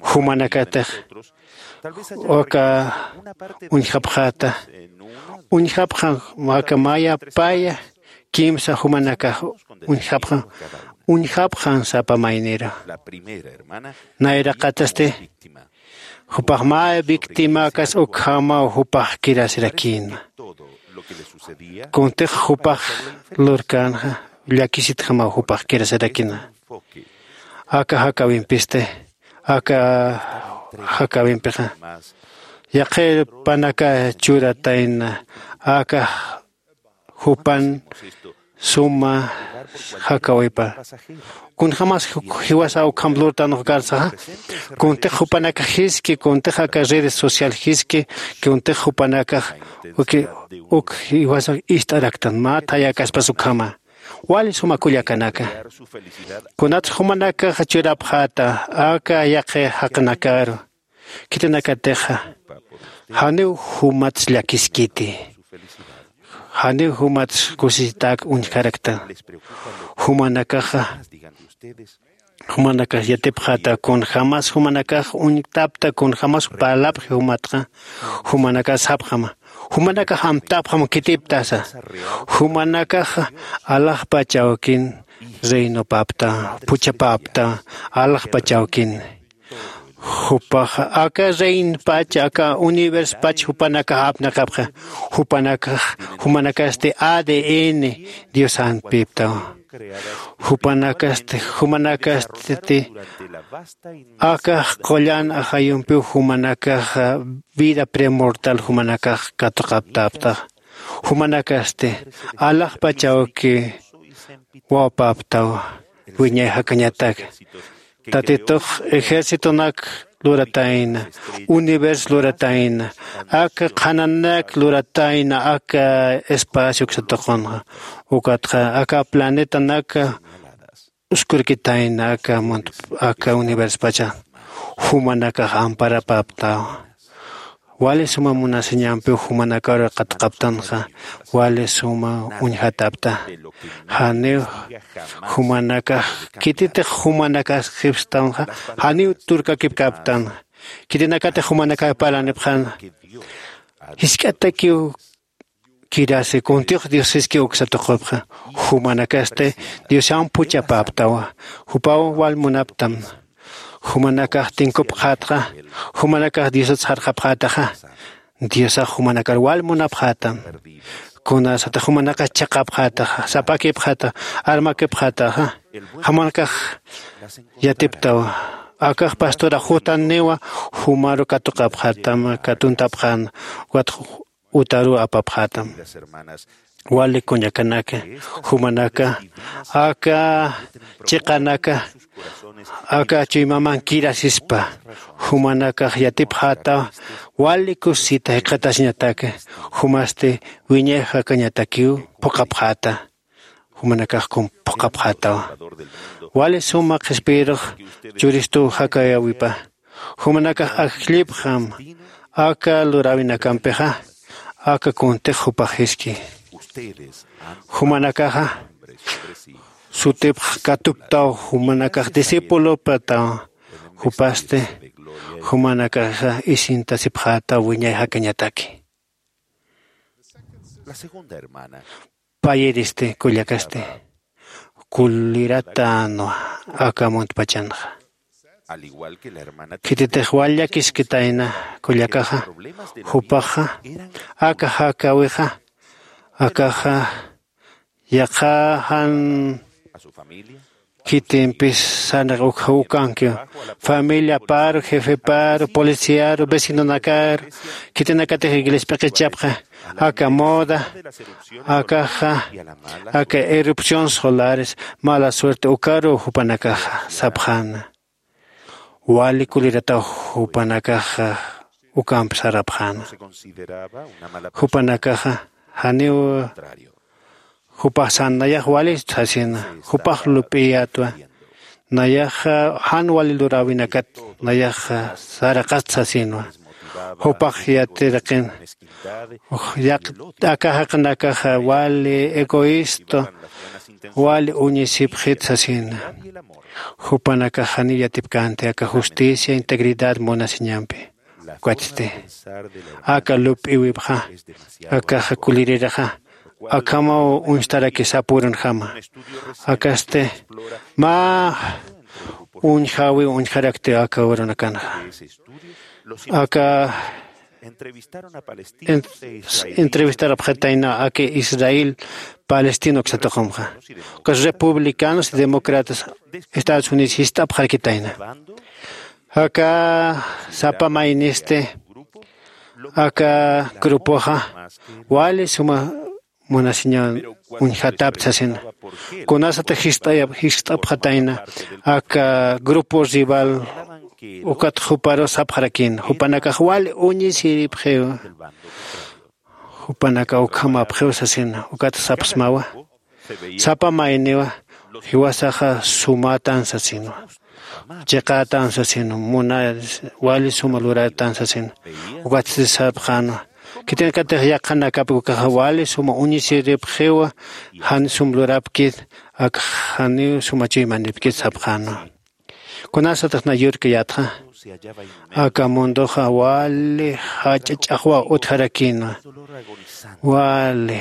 Jumanakatix aka uñjapxäta uñjapxan aka maya paya kimsa jumanakax uñjapxan uñjapxan sapa mayniru. Nayraqatasti jupax mä victimakas ukhamaw jupax kirasirakïna. Kuntix jupax lurkänxa llakisitjamaw jupax kirasirakïna. Aka jakäwimpisti aka jakäwimpixa yaqhipanaka churatayna aka jupan suma jakäwipa. Kunjämas jiwasa ukham lurtanux karsaxa kuntix jupanakax jiski kuntix aka redes social jiski kuntix jupanakax uk jiwasax ist'araktan mä thayäkaspas ukhama. Wali suma kullakanaka kunatsa jumanakax churapxäta aka yaqhi jaqinakaru khitinakatixa janiw jumats llakiskiti. Janiw jumats kusisitak uñjarakta. Jumanakaxa Jumanakax yatipxata kunjämas jumanakax uñtapta kunjämas parlapxi jumatxa. Jumanakax sapxama, jumanakax amtapxam khitiptasa. Jumanakax alaxpach awkin reinopapta, phuchhapapta alaxpach awkin. Jupax aka reinpach aka universpach jupanakax apnaqapxa. Jupanakax jumanakasti adn diosanpiptaw. Jupanakasti jumanakasti aka qullan ajayumpiw jumanakax vida premortal jumanakax katuqaptaptax. Jumanakasti alaxpach awki wawpaptaw. Wiñay jakañatak tatitux ejércitonak luratayna, universo luratayna, aka qhananak luratayna aka espacio uksatuqunxa. Ukatxa aka planetanak uskurkitayna aka munt aka universpacha. Jumanakax amparapaptaw. Wali suma munasiñampiw jumanakaru qatqaptanxa. Wali suma uñjatapta. Janiw jumanakax khititix jumanakax jipstanxa. Janiw turkakipkaptan. Khitinakatix jumanakax parlanipxan jisk'atakiw kirasi kuntix diosiski uksatuqupxa. Jumanakasti diosan phuchhapaptawa. Jupaw wal munaptam. Jumanakax tinkupxatxa. Jumanakax diosat sarxapxataxa. Diosax jumanakar wal munapxatam. Kunasatix jumanakax chhaqapxataxa sapakipxata armakipxataxa. Jumanakax yatiptawa. Akax pastura jutaniwa. Jumaru katuqapxatam katuntapxan. Ukat utaruw apapxätam. Wali kuñakanaka jumanaka aka chiqanaka aka chuymaman kirasispa jumanakax yatipxäta. Wali kusisita jikxatasiñataka jumasti wiñay jakañatakiw phuqhapxäta. Jumanakax kum phuqhapxätawa. Wali suma qhispiyirux churistuw jakayäwipa. Jumanakax ajllipxam aka luräwinakampixa aka kuntix jupax jiski. Jumanakaxa sutipx katuptaw jumanakax discipulopataw. Jupasti jumanakaxa isintasipxätaw wiñay jakañataki. Payiristi kullakasti kuliratanwa aka muntpachanxa. Khititix wal llakiskitayna kullakaxa jupaxa aka jakäwixa akaxa yaqha jan khitimpis sarnaq ukxa ukankiw. Familiaparu jefeparu policiaru vecinonakaru khitinakatix iglesia p'iqichapxa aka moda akaxa aka erupción solares mala suerte ukaruw jupanakaxa sapxäna. Wali kulirataw jupanakaxa ukamp sarapxäna. Jupanakaxa janiw jupax san nayax walit sasina. Jupax lup'iyätwa nayaxa jan wali luräwinakat nayaxa saraqat sasinwa. Jupax yatiraqin aka jaqinakaxa wali egoísta wali uñisipxit sasina. Jupanakax janiw yatipkänti aka justicia integridad munasiñampi. Ukatsti aka lup'iwipxa akaxa kuliriraxa akhamaw uñstarakis sapürunjama. Akasti mä uñjäwiw uñjarakti aka urunakanxa. Aka entrevistarapxatayna aka israel palestina uksatuqumxa ukas republicanos y demócratas estados unidos jist'apxarakitayna. Aka sapa maynisti aka grupoxa wali suma munasiñan uñjatapta sasina. Kunasatix jist'apxatayna aka grupo rival ukat juparu sapxarakïna jupanakax wali uñisiripxiw. Jupanaka ukhamapxiw sasina ukat sapxsmawa. Sapa mayniwa jiwasaxa sumätan sasinwa. Chiqätan sasinwa muna wali suma luratan sasinwa. Ukatsti sapxänwa khitinakatix yaqhanakapki ukaxa wali suma uñisiripxiwa. Jan sum lurapkit ak janiw suma chuymanipkit sapxänwa. Kunasatix na yurkayätxa, aka mundoxa wali jach'a ch'axwa utjarakïnwa. Wali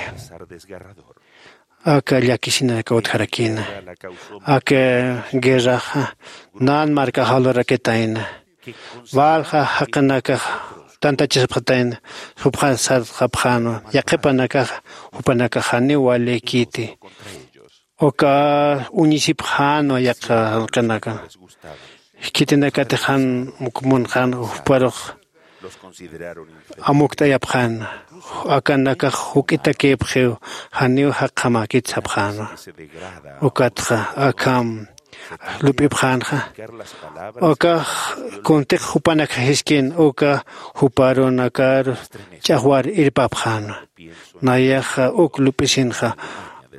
aka llakisinaka utjarakïna. Aka guerraxa nan markaxa lurakitayna. Walja jaqinakax tantachasipxatayna, jupxan sartxapxänwa. Yaqhipanakaxa jupanakax janiw walïkiti. Uka uñisipxänwa yaqha jaqinaka. Khitinakatix jan uk munxän, juparux amukt'ayapxän. Akanakax juk'itakïpxiw, janiw jaqjamäkit sapxänwa. Ukatxa akham lup'ipxänxa. Ukax kuntix jupanakxa jiskin, uka juparunakar ch'axwar irpapxänwa. Nayaxa uk lup'isinxa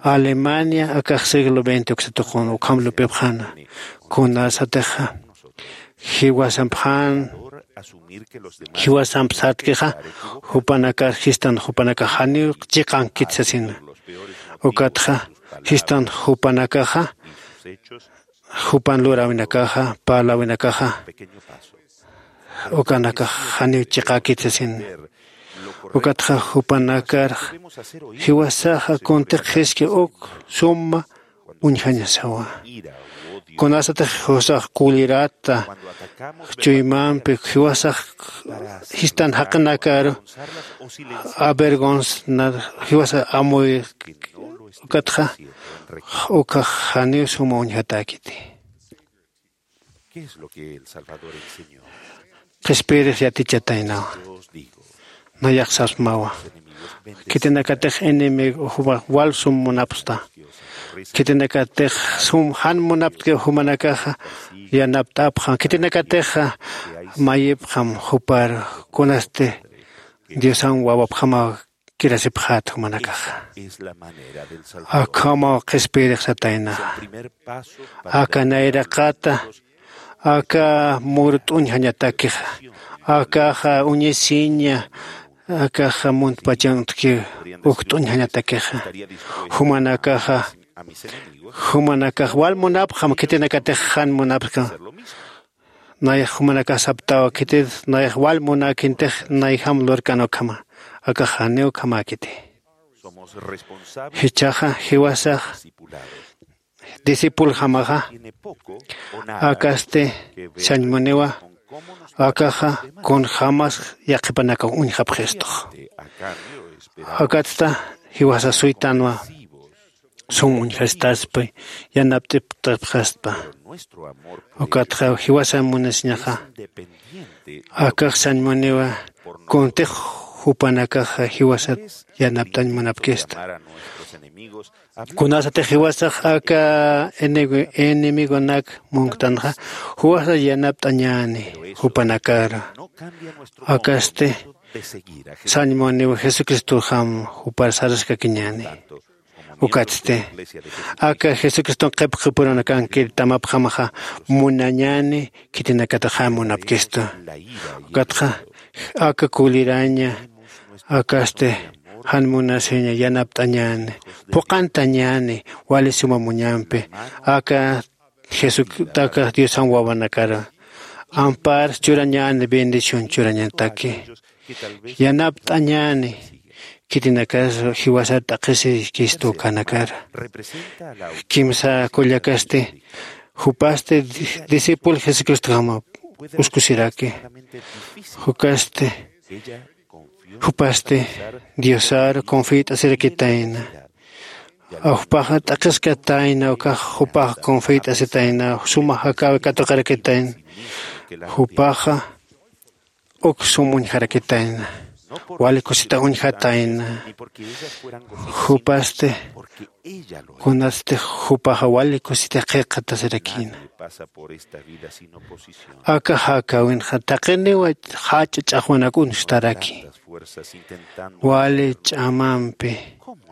Alemania akax siglo veinte uksa tuqun ukham lup'ipxänwa. Kunasatixa jiwasampxän, jiwasamp sartkixa, jupanakar jistan jupanakax janiw chiqankit sasina. Ukatxa jistan jupanakaxa, jupan luräwinakaxa, parläwinakaxa, ukanakax janiw chiqäkit sasina. Ukatxa jupanakar jiwasaxa kuntix jiski uk suma uñjañasawa. Kunasatix jiwasax kulirata chuymampi, jiwasax jistan jaqinakaru avergonzar, jiwasa amuy, ukatxa ukax janiw suma uñjatäkiti. ¿Qué es lo que el Salvador enseñó? Qhispiyirix yatichataynawa. Nayax sapsmawa. Khitinakatix enemigo jumax wal sum munapxta. Khitinakatix sum jan munaptki jumanakaxa yanapt'apxam. Khitinakatixa mayipxam jupar kunasti Diosan wawapxamaw kirasipxät jumanakaxa. Akhamaw qhispiyirix sataynaxa. Aka nayraqata, aka murt'uñjañatakixa, akaxa uñisiña, akaxa muntpachan utjki ukt'uñjañatakixa. Jumanakaxa, jumanakax wal munapxam khitinakatix jan munapxam. Nayax jumanakax saptawa, khitir nayax wal munäkintix nayjam lurkan ukhama, akax janiw ukhamäkiti. Jichhaxa jiwasax discipuljamaxa, akasti sañmuniwa, akaxa kunjämas yaqhipanakax uñjapxistux. Akatsta jiwasa suytanwa, sum uñjastaspi, yanapt'iptapxaspa. Ukatxa jiwasan munasiñaxa, akax sañmuniwa, kuntix jupanakaxa jiwasat yanapt'añ munapkista. Kunasatix jiwasax aka enemigo, enemigonak munktanxa, jiwasa yanapt'añäni jupanakar. Akasti sañmuniwa Jesucristoxam jupar saraskakiñäni. Ukatsti aka Jesucriston qhipqipurunakankir tamapxamaxa munañäni, khitinakatax jan munapkistu. Ukatxa aka kuliraña, akasti jan munasiña yanapt'añäni, phuqantañäni wali suma muñampi, aka Jesuc-, aka Diosan wawanakar ampar churañäni, bendición churañataki. Yanapt'añäni, khitinakas jiwasar t'aqhisikistu ukanakar. Kimsa kullakasti, jupasti di-, discípulo Jesucristoxama uskusiraki. Jukasti, jupasti Diosar confiat'asirakitayna. Jupaxa t'aqhiskatayna, ukax jupax confiat'asitayna, suma jakäwi katuqarakitayna. Jupaxa uk sum uñjarakitayna, wali kusita uñjatayna. Jupasti, kunasti jupaxa wali kusita qhiqatasirakïna. Aka jakäwinxa taqiniwa jach'a ch'axwanak uñstaraki. Wali ch'amampi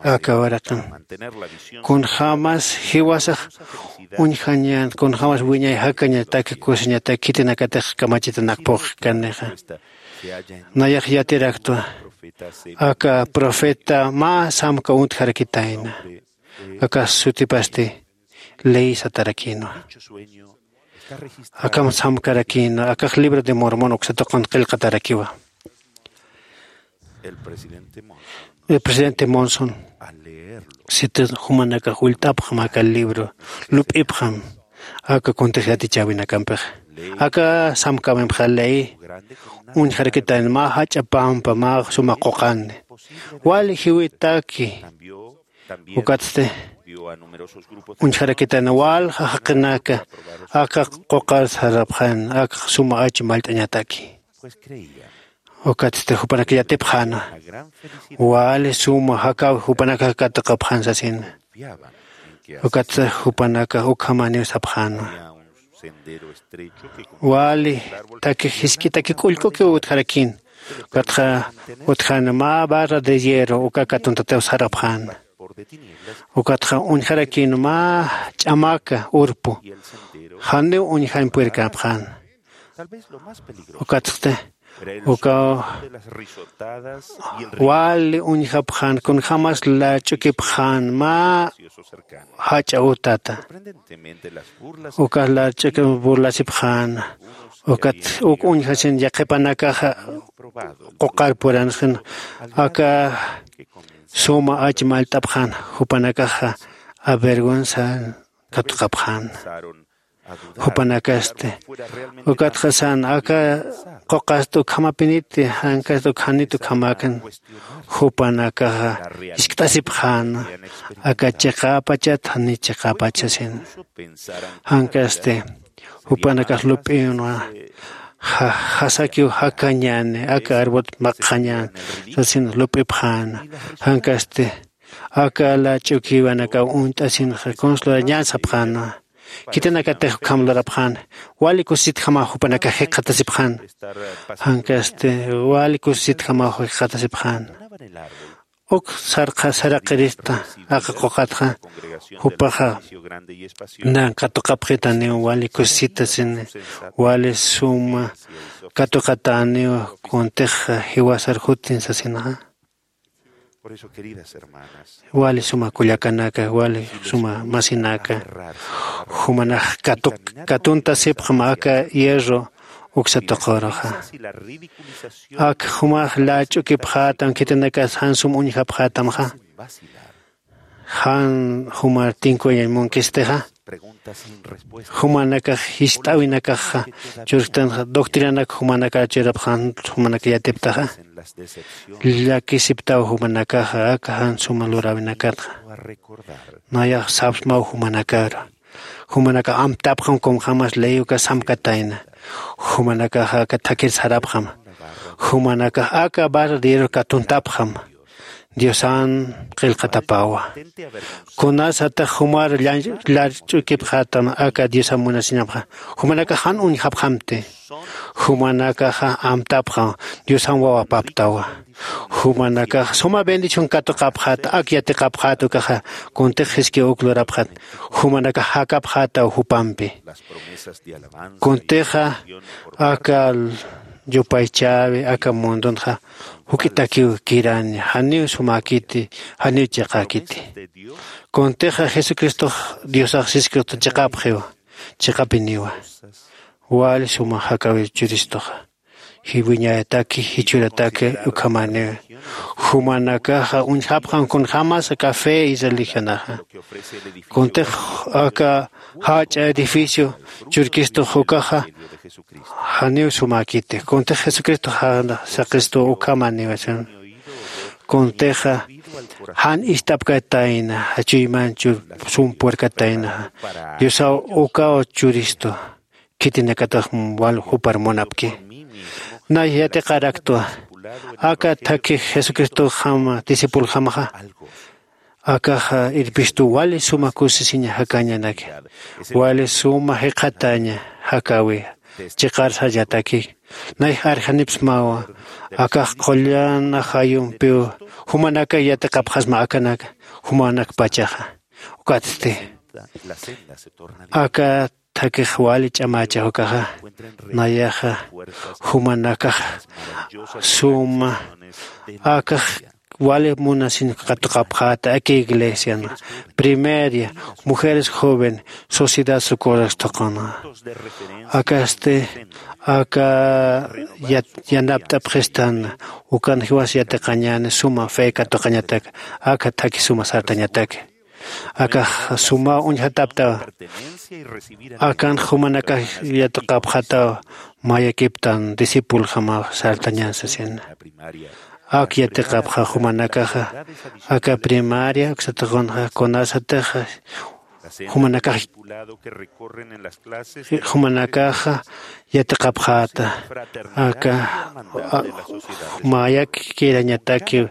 aka uraqin. Kunjämas jiwasax uñjañän, kunjämas wiñay jakañataki, kusiñataki, khitinakatix kamachitanak phuqkanixa. Nayax yatiraktwa, aka profeta mä samka uñtjarakitayna. Aka sutipasti ley satarakïnwa. Akam samkarakïna akax libro de mormon uksatuqan qillqatarakiwa. El presidente monson siti jumanakax ullt'apxam aka libro lup'ipxam aka kuntix yatichäwinakampixa aka samkäwimpxa ley uñjarakitayna mä jach'a pampa mä suma quqani wali jiwitaki. Ukatsti uñjarakitayna walja jaqinaka aka quqar sarapxan aka suma ach mallt'añataki. Ukatsti jupanaka yatipxäna wali suma jakäwi jupanakax katuqapxan sasina. Ukatsti jupanakax ukhamaniw sapxäna wali takix jisk'itaki k'ullk'ukiw utjarakïn. Ukatxa utjäna mä barra de hierro uka katuntatiw sarapxäna. Ukatxa uñjarakïn mä ch'amaka urpu janiw uñjañ purirkäpxäna. Ukatsti ukaw wali uñjapxän kunjämas lach'ukipxän mä jach'a utata. Ukax lach'ukip burlasipxän ukat uk uñjasin yaqhipanakaxa quqar puranxin aka suma ach mallt'apxän jupanakaxa avergüenza katuqapxän. Jupanakasti ukatxa san aka quqast ukhamapiniti jankast ukjanit ukhamäkan. Jupanakaxa jiskt'asipxäna aka chiqäpachat jani chiqäpach sasin. Jankasti jupanakax lup'inwa jasakiw jakañäni aka arbot makxañän sasin lup'ipxäna. Jankasti aka lach'ukiwanakaw uñt'asinxa kunslurañän sapxänwa. Khitinakatix ukham lurapxäna wali kusisitjamaw jupanakax jikxatasipxäna. Jankasti wali kusisitjamaw jikxatasipxäna. Uk sarqa saraqirista aka quqatxa jupaxa nan katuqapxitaniw wali kusisitasini wali suma katuqatäniw kuntixa jiwasar jutin sasinxa. Wali suma kullakanaka wali suma masinaka jumanax katuntasipxam aka hierro uksa tuquruxa. Ak jumax lach'ukipxätam khitinakas jan sum uñjapxätamxa jan jumar tinkuyañ munkistixa. Jumanakax jist'äwinakaxa churktanxa doctrinanak jumanakar churapxan jumanak yatiptaxa llakisiptaw jumanakaxa aka jan suma luräwinakatxa. Nayax sapsmaw jumanakar jumanakax amtapxam kunjämas ley uka samkatayna. Jumanakaxa aka thakir sarapxam jumanakax aka barra de hierro katuntapxam. Diosan qillqatapawa. Kunasatax jumar llarch'ukipxätam aka diosan munasiñapxa jumanakax jan uñjapxamti. Jumanakaxa amtapxam diosan wawapaptawa. Jumanakax suma bendición katuqapxäta ak yatiqapxäta ukaxa kuntix jiskiw uk lurapxäta. Jumanakax jakapxätaw jupampi kuntixa aka yupaychäwi aka mundunxa juk'itakiw kiraña janiw sumäkiti janiw chiqäkiti. Kuntixa jesucristox diosax siskirta chiqapxiw chiqapiniwa. Wali suma jakäwir churistuxa jiwiñätaki jichhurataki ukhamäniw. Jumanakaxa uñjapxam kunjämas aka fe y religionaxa kuntix aka jach'a edificio churkistux ukaxa janiw sumäkiti kuntix jesucristox saqistu ukhamäniw. Kuntixa jan ist'apkatayna chuyman sum puerkatayna diosaw ukaw churistu khitinakatax wal jupar munapki. Nay yatiqaraktwa aka thakhi jesucristoxama discipuljamaxa akaxa irpistu wali suma kusisiña jakañanaki wali suma jiqhataña jakäwi chiqar sarñataki. Nay arjanipsmawa akax qullan ajayumpiw jumanaka yatiqapxasma akanaka jumanakpachaxa. Ukatsti aka thakix wali ch'amächax ukaxa nayaxa jumanakax suma akax wali munasin katuqapxäta aka iglesian, primeria, mujeres joven, sociedad Socorro tuqina. Akasti aka yat- yanapt'apxistan, ukan jiwas yatiqañäni suma fe katuqañatak, aka thakhi suma sartañatak. Akax sumaw uñjataptawa. Akan jumanakax yatiqapxataw, mayakiptan discipuljamaw sartañän sasina. Ak yatiqapxa jumanakaxa aka primaria uksatix kunxa kunasatix jumanakax jumanakaxa yatiqapxäta. Aka a- mayak kirañataki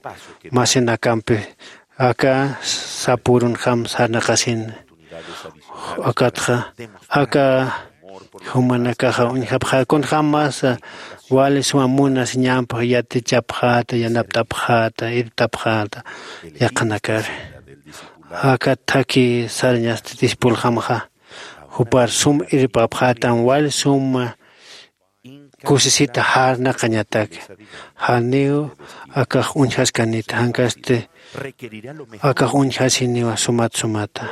masinakampi aka sapürunjam sarnaqasin. Akatxa aka jumanakaxa uñjapxä kunjämas wali suma munasiñampi yatichapxäta, yanapt'apxäta, irptapxäta yaqhanakar. Aka thakhi sarañasti discipuljamxa jupar sum irpapxätam wali suma kusisita jarnaqañatak. Janiw akax uñjaskanita, jankasti akax uñjasiniwa sumat sumata.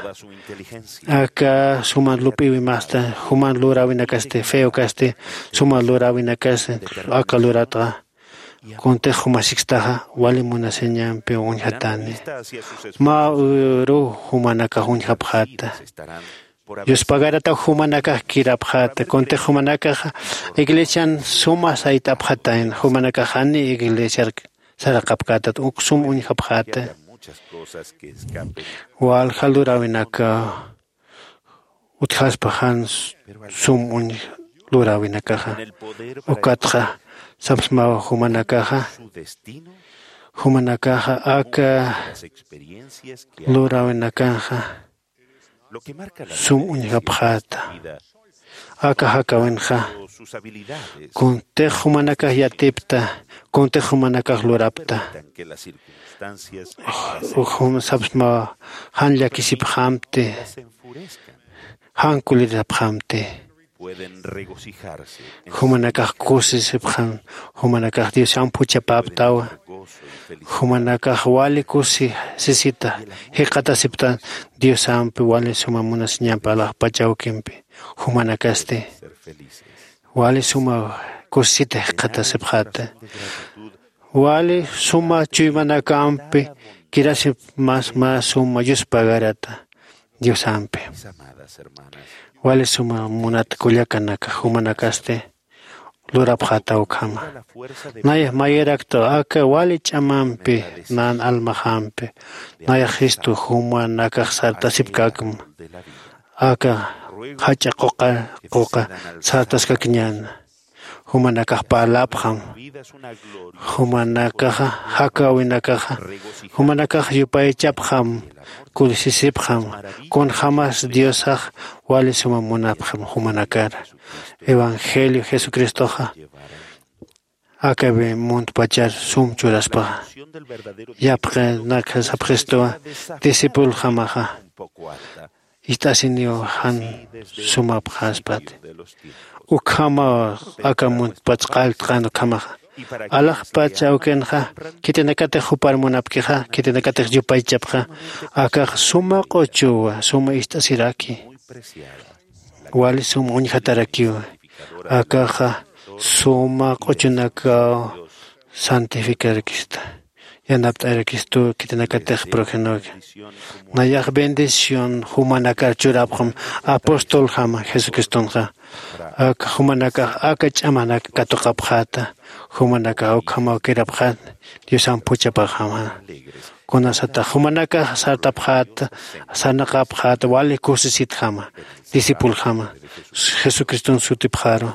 Aka suma lup'iwimasta juman luräwinakasti, feokasti suma luräwinakasti aka luratxa. Kuntix jumasikstaxa wali munasiñampi uñjatani. Mä uruw jumanakax uñjapxäta. Yuspagarataw jumanakax kirapxäta. Kuntix jumanakax iglesian suma sayt'apxatayna, jumanakax jani iglesiar saraqapkätat, uk sum uñjapxäta. Walja luräwinakaw utjaspa jan sum uñj luräwinakaxa. Ukatxa sapsmaw jumanakaxa, jumanakaxa aka luräwinakanxa sum uñjapxäta. Aka jakäwinxa kuntix jumanakax yatipta, kuntix jumanakax lurapta, jum sapsma jan llakisipxamti, jan kulirisipxamti. Jumanakax kusisipxam, jumanakax Diosamp juchapäptawa. Jumanakax wali kusisisita jikxatasiptan Diosampi wali suma munasiñampi alaxpach awkimpi. Jumanakasti wali suma kusisita jikxatasipxäta. Wali suma chuymanakampi kirasip mas mä suma yuspagarata Diosampi. Wali suma munat kullakanaka, jumanakasti lurapxäta ukhama. Nayax mayirakta aka wali ch'amampi nan almaxampi nayax jistu jumanakax sartasipkäkma. Aka jach'a quqa quqa sartaskakiñäna. Jumanakax parlapxam, jumanakaxa jakäwinakaxa, jumanakax yupaychapxam, kusisipxam. Kunjämas Diosax wali suma munapxam jumanakar. Evangelio Jesucristoxa aka muntpachar sum churaspaxa, yapxinaka sapxistuwa, discipuljamaxa ist'asiniw jan sumapxaspati. Ukhamaw aka muntpach qalltqan ukhamaxa. Alaxpach awkinxa khitinakatix jupar munapkixa, khitinakatix yupaychapxa, akax suma q'uchuwa, suma ist'asiraki, wali suma uñjatarakiwa. Akaxa suma q'uchunakaw santificarakista, yanapt'arakistu khitinakatix progenok. Nayax bendición jumanakar churapxam apostoljama Jesucristonxa. Aka jumanakax aka ch'amanak katuqapxäta, jumanakax ukhamaw kirapxät Diosamp juchapaxama. Kunasatax jumanakax sartapxäta, sarnaqapxäta, wali kusisitjama, discipuljama, Jesucriston sutipxaru.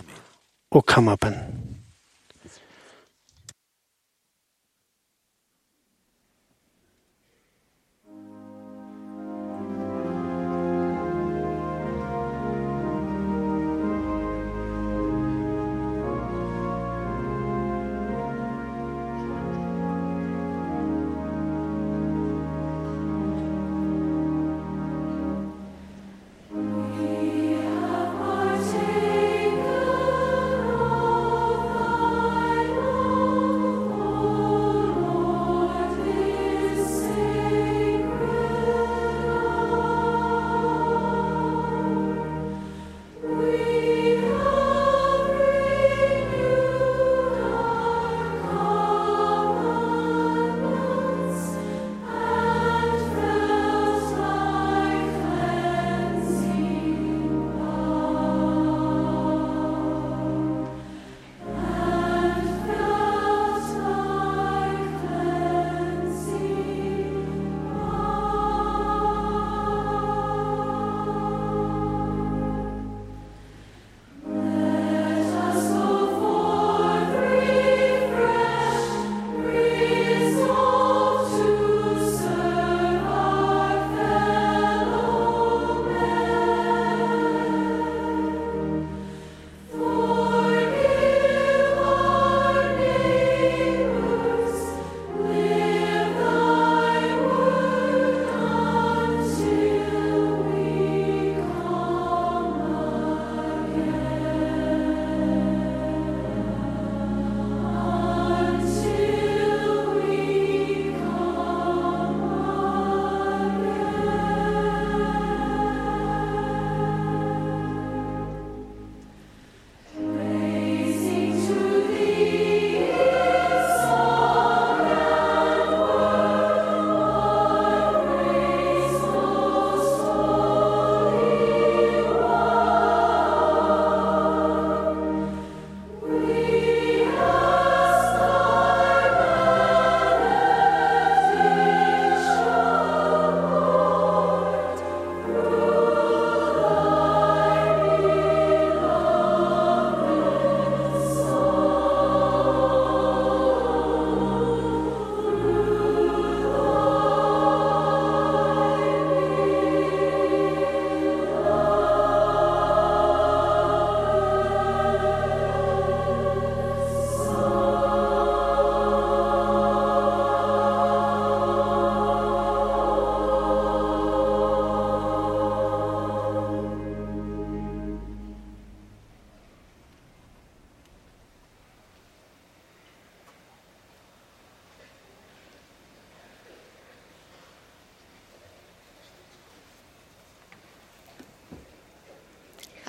Ukhamapan.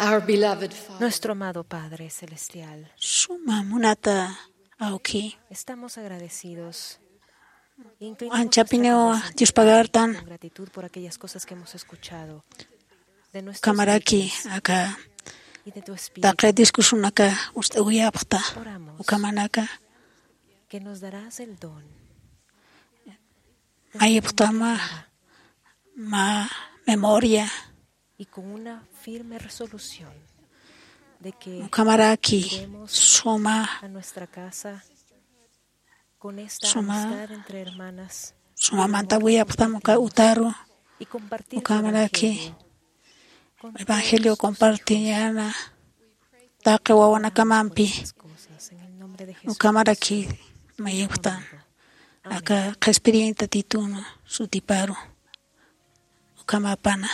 Our beloved Father. Nuestro amado Padre Celestial. Suma munata awki. Estamos agradecidos. Inclinamos nuestra cabeza. Anchapiniw Dios pagartan. Con gratitud por aquellas cosas que hemos escuchado. De nuestros líderes. Ukamaraki aka. Y de tu Espíritu. Taqi discursunaka ust'awiyapxta. Oramos. Ukamanaka. Que nos darás el don. Mayipxtama. Una memoria. Y con una firme resolución de que ukamaraki iremos suma a nuestra casa con esta suma amistad entre hermanas, suma mantawiyapxtam uka utaru y compartir el ukamaraki evangelio con nuestros hijos. Evangelio compartiñana taqi wawanakamampi. Muchas cosas en el nombre de Jesús. Ukamaraki mayipxtam. Amén. Aka qhispiriñ Tatitun sutiparu. Ukhamapana.